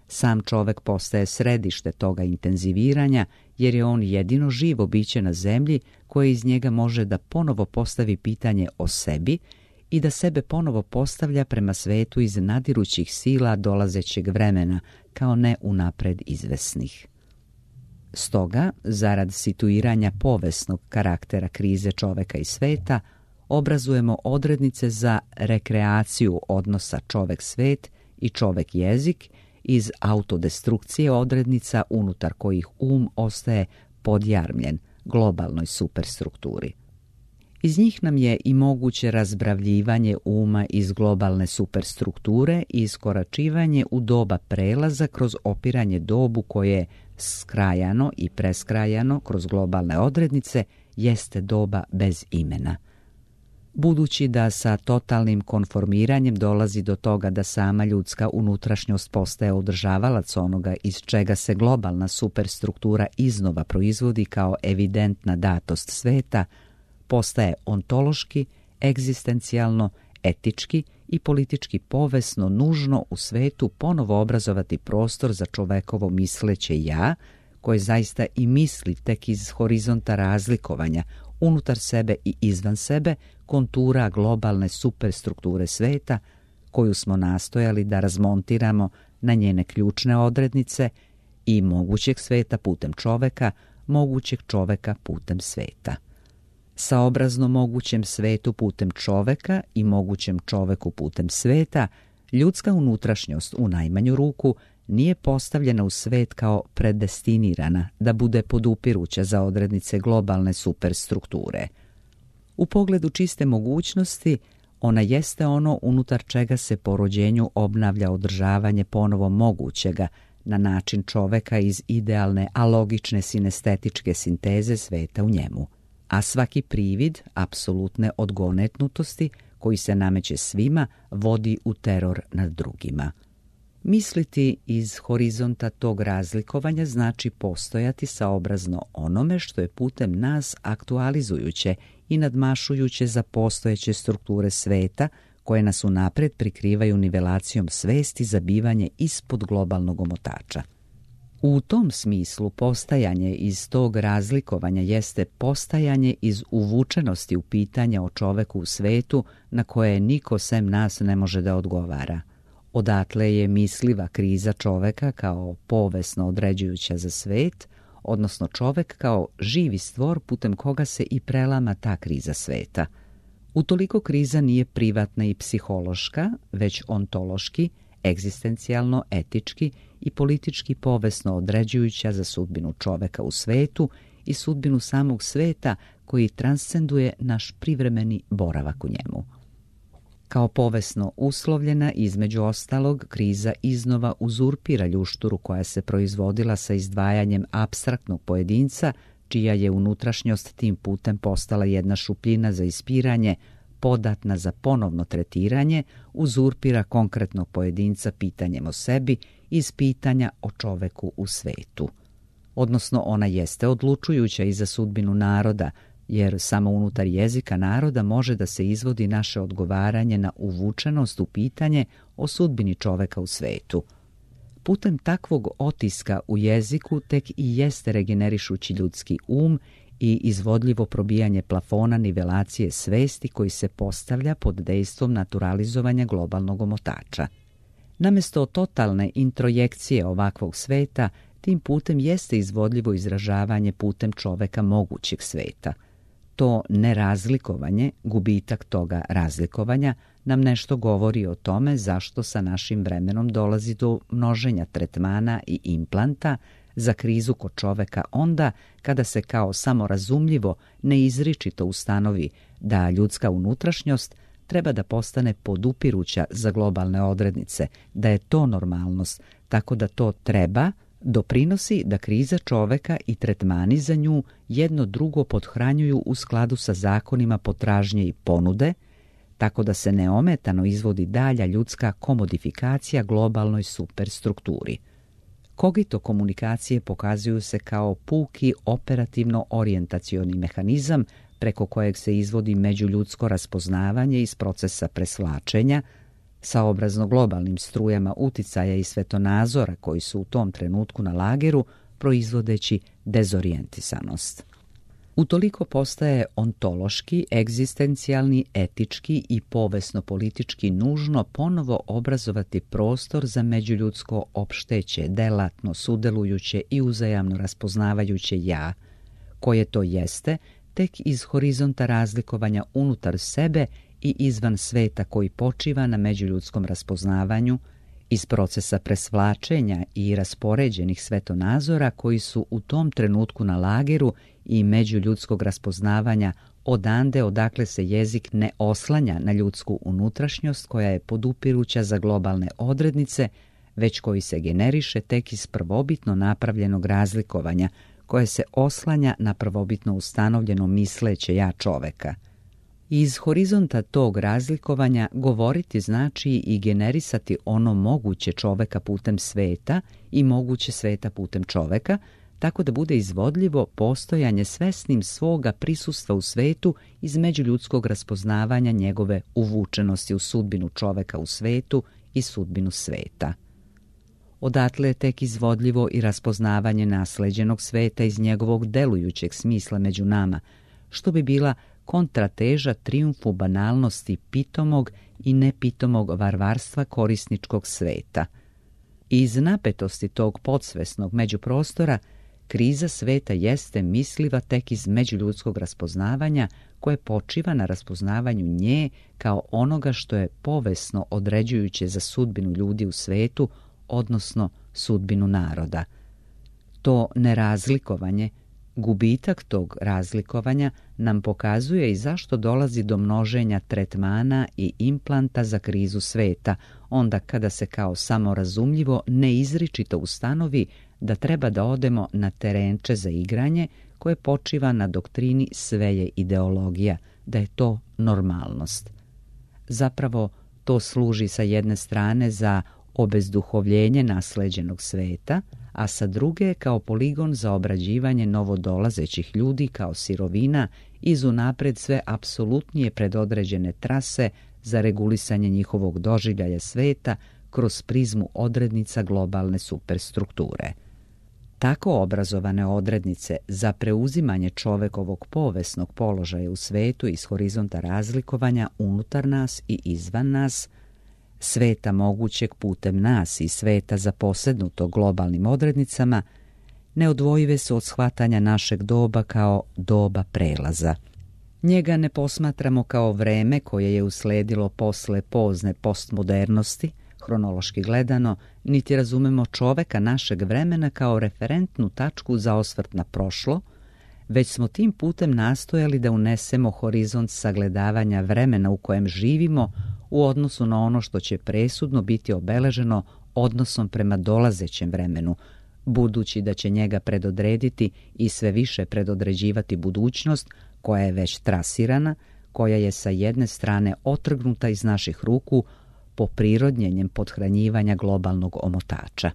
Sam čovek postaje središte toga intenziviranja, jer je on jedino živo biće na zemlji koje iz njega može da ponovo postavi pitanje o sebi i da sebe ponovo postavlja prema svetu iz nadirućih sila dolazećeg vremena, kao ne unapred izvesnih. Stoga, zarad situiranja povesnog karaktera krize čoveka i sveta, obrazujemo odrednice za rekreaciju odnosa čovek-svet i čovek-jezik iz autodestrukcije odrednica unutar kojih um ostaje podjarmljen globalnoj superstrukturi. Iz njih nam je i moguće razbravljivanje uma iz globalne superstrukture i iskoračivanje u doba prelaza kroz opiranje dobu koje skrajano i preskrajano kroz globalne odrednice jeste doba bez imena. Budući da sa totalnim konformiranjem dolazi do toga da sama ljudska unutrašnjost postaje održavalac onoga iz čega se globalna superstruktura iznova proizvodi kao evidentna datost sveta, postaje ontološki, egzistencijalno, etički i politički povesno nužno u svetu ponovo obrazovati prostor za čovekovo misleće ja, koje zaista i misli tek iz horizonta razlikovanja unutar sebe i izvan sebe kontura globalne superstrukture sveta, koju smo nastojali da razmontiramo na njene ključne odrednice i mogućeg sveta putem čoveka, mogućeg čoveka putem sveta. Saobrazno mogućem svetu putem čoveka i mogućem čoveku putem sveta, ljudska unutrašnjost u najmanju ruku nije postavljena u svet kao predestinirana da bude podupiruća za odrednice globalne superstrukture. U pogledu čiste mogućnosti, ona jeste ono unutar čega se po rođenju obnavlja održavanje ponovo mogućega na način čoveka iz idealne, alogične sinestetičke sinteze sveta u njemu. A svaki privid apsolutne odgonetnutosti koji se nameće svima vodi u teror nad drugima. Misliti iz horizonta tog razlikovanja znači postojati saobrazno onome što je putem nas aktualizujuće i nadmašujuće za postojeće strukture sveta koje nas unapred prikrivaju nivelacijom svesti za bivanje ispod globalnog omotača. U tom smislu postajanje iz tog razlikovanja jeste postajanje iz uvučenosti u pitanja o čoveku u svetu na koje niko sem nas ne može da odgovara. Odatle je misliva kriza čoveka kao povesno određujuća za svet, odnosno čovek kao živi stvor putem koga se i prelama ta kriza sveta. Utoliko kriza nije privatna i psihološka, već ontološki, egzistencijalno, etički i politički povesno određujuća za sudbinu čoveka u svetu i sudbinu samog sveta koji transcenduje naš privremeni boravak u njemu. Kao povesno uslovljena, između ostalog, kriza iznova uzurpira ljušturu koja se proizvodila sa izdvajanjem apstraktnog pojedinca, čija je unutrašnjost tim putem postala jedna šupljina za ispiranje, podatna za ponovno tretiranje, uzurpira konkretnog pojedinca pitanjem o sebi iz pitanja o čoveku u svetu. odnosno ona jeste odlučujuća i za sudbinu naroda, jer samo unutar jezika naroda može da se izvodi naše odgovaranje na uvučenost u pitanje o sudbini čoveka u svetu. Putem takvog otiska u jeziku tek i jeste regenerišući ljudski um i izvodljivo probijanje plafona nivelacije svesti koji se postavlja pod dejstvom naturalizovanja globalnog omotača. Namesto totalne introjekcije ovakvog sveta, tim putem jeste izvodljivo izražavanje putem čoveka mogućeg sveta. To nerazlikovanje, gubitak toga razlikovanja, nam nešto govori o tome zašto sa našim vremenom dolazi do množenja tretmana i implanta za krizu kod čoveka onda kada se kao samorazumljivo neizričito ustanovi da ljudska unutrašnjost treba da postane podupiruća za globalne odrednice, da je to normalnost, tako da to treba doprinosi da kriza čoveka i tretmani za nju jedno drugo pothranjuju u skladu sa zakonima potražnje i ponude, tako da se neometano izvodi dalja ljudska komodifikacija globalnoj superstrukturi. Kogito komunikacije pokazuju se kao puki operativno-orijentacioni mehanizam preko kojeg se izvodi međuljudsko raspoznavanje iz procesa presvlačenja, saobrazno globalnim strujama uticaja i svetonazora koji su u tom trenutku na lageru, proizvodeći dezorijentisanost. Utoliko postaje ontološki, egzistencijalni, etički i povesno-politički nužno ponovo obrazovati prostor za međuljudsko opšteće, delatno, sudelujuće i uzajamno raspoznavajuće ja, koje to jeste tek iz horizonta razlikovanja unutar sebe i izvan sveta koji počiva na međuljudskom raspoznavanju, iz procesa presvlačenja i raspoređenih svetonazora koji su u tom trenutku na lageru i međuljudskog raspoznavanja odande odakle se jezik ne oslanja na ljudsku unutrašnjost koja je podupiruća za globalne odrednice, već koji se generiše tek iz prvobitno napravljenog razlikovanja koje se oslanja na prvobitno ustanovljeno misleće ja čoveka. Iz horizonta tog razlikovanja govoriti znači i generisati ono moguće čoveka putem sveta i moguće sveta putem čoveka, tako da bude izvodljivo postojanje svesnim svoga prisustva u svetu iz međuljudskog raspoznavanja njegove uvučenosti u sudbinu čoveka u svetu i sudbinu sveta. Odatle je tek izvodljivo i raspoznavanje nasleđenog sveta iz njegovog delujućeg smisla među nama, što bi bila kontrateža trijumfu banalnosti pitomog i nepitomog varvarstva korisničkog sveta. Iz napetosti tog podsvesnog međuprostora, kriza sveta jeste misliva tek iz međuljudskog raspoznavanja koje počiva na raspoznavanju nje kao onoga što je povesno određujuće za sudbinu ljudi u svetu, odnosno sudbinu naroda. To nerazlikovanje, gubitak tog razlikovanja nam pokazuje i zašto dolazi do množenja tretmana i implanta za krizu sveta, onda kada se kao samorazumljivo neizričito ustanovi da treba da odemo na terenče za igranje koje počiva na doktrini sve je ideologija, da je to normalnost. Zapravo, to služi sa jedne strane za obezduhovljenje nasleđenog sveta, a sa druge kao poligon za obrađivanje novodolazećih ljudi kao sirovina iz unapred sve apsolutnije predodređene trase za regulisanje njihovog doživljaja sveta kroz prizmu odrednica globalne superstrukture. Tako obrazovane odrednice za preuzimanje čovekovog povesnog položaja u svetu iz horizonta razlikovanja unutar nas i izvan nas, sveta mogućeg putem nas i sveta zaposednutog globalnim odrednicama, neodvojive su od shvatanja našeg doba kao doba prelaza. Njega ne posmatramo kao vreme koje je usledilo posle pozne postmodernosti, hronološki gledano, niti razumemo čoveka našeg vremena kao referentnu tačku za osvrt na prošlo, već smo tim putem nastojali da unesemo horizont sagledavanja vremena u kojem živimo u odnosu na ono što će presudno biti obeleženo odnosom prema dolazećem vremenu, budući da će njega predodrediti i sve više predodređivati budućnost koja je već trasirana, koja je sa jedne strane otrgnuta iz naših ruku po prirodnjenjem pothranjivanja globalnog omotača.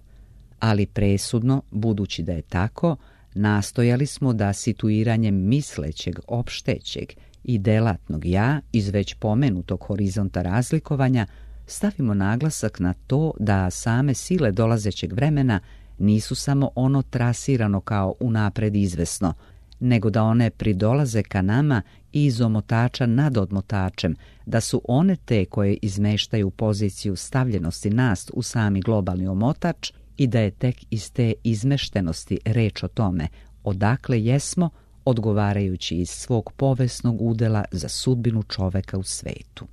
Ali presudno, budući da je tako, nastojali smo da situiranjem mislećeg, opštećeg i delatnog ja iz već pomenutog horizonta razlikovanja stavimo naglasak na to da same sile dolazećeg vremena nisu samo ono trasirano kao unapred izvesno, nego da one pridolaze ka nama iz omotača nad odmotačem, da su one te koje izmeštaju poziciju stavljenosti nas u sami globalni omotač i da je tek iz te izmeštenosti reč o tome odakle jesmo, odgovarajući iz svog povesnog udela za sudbinu čoveka u svetu.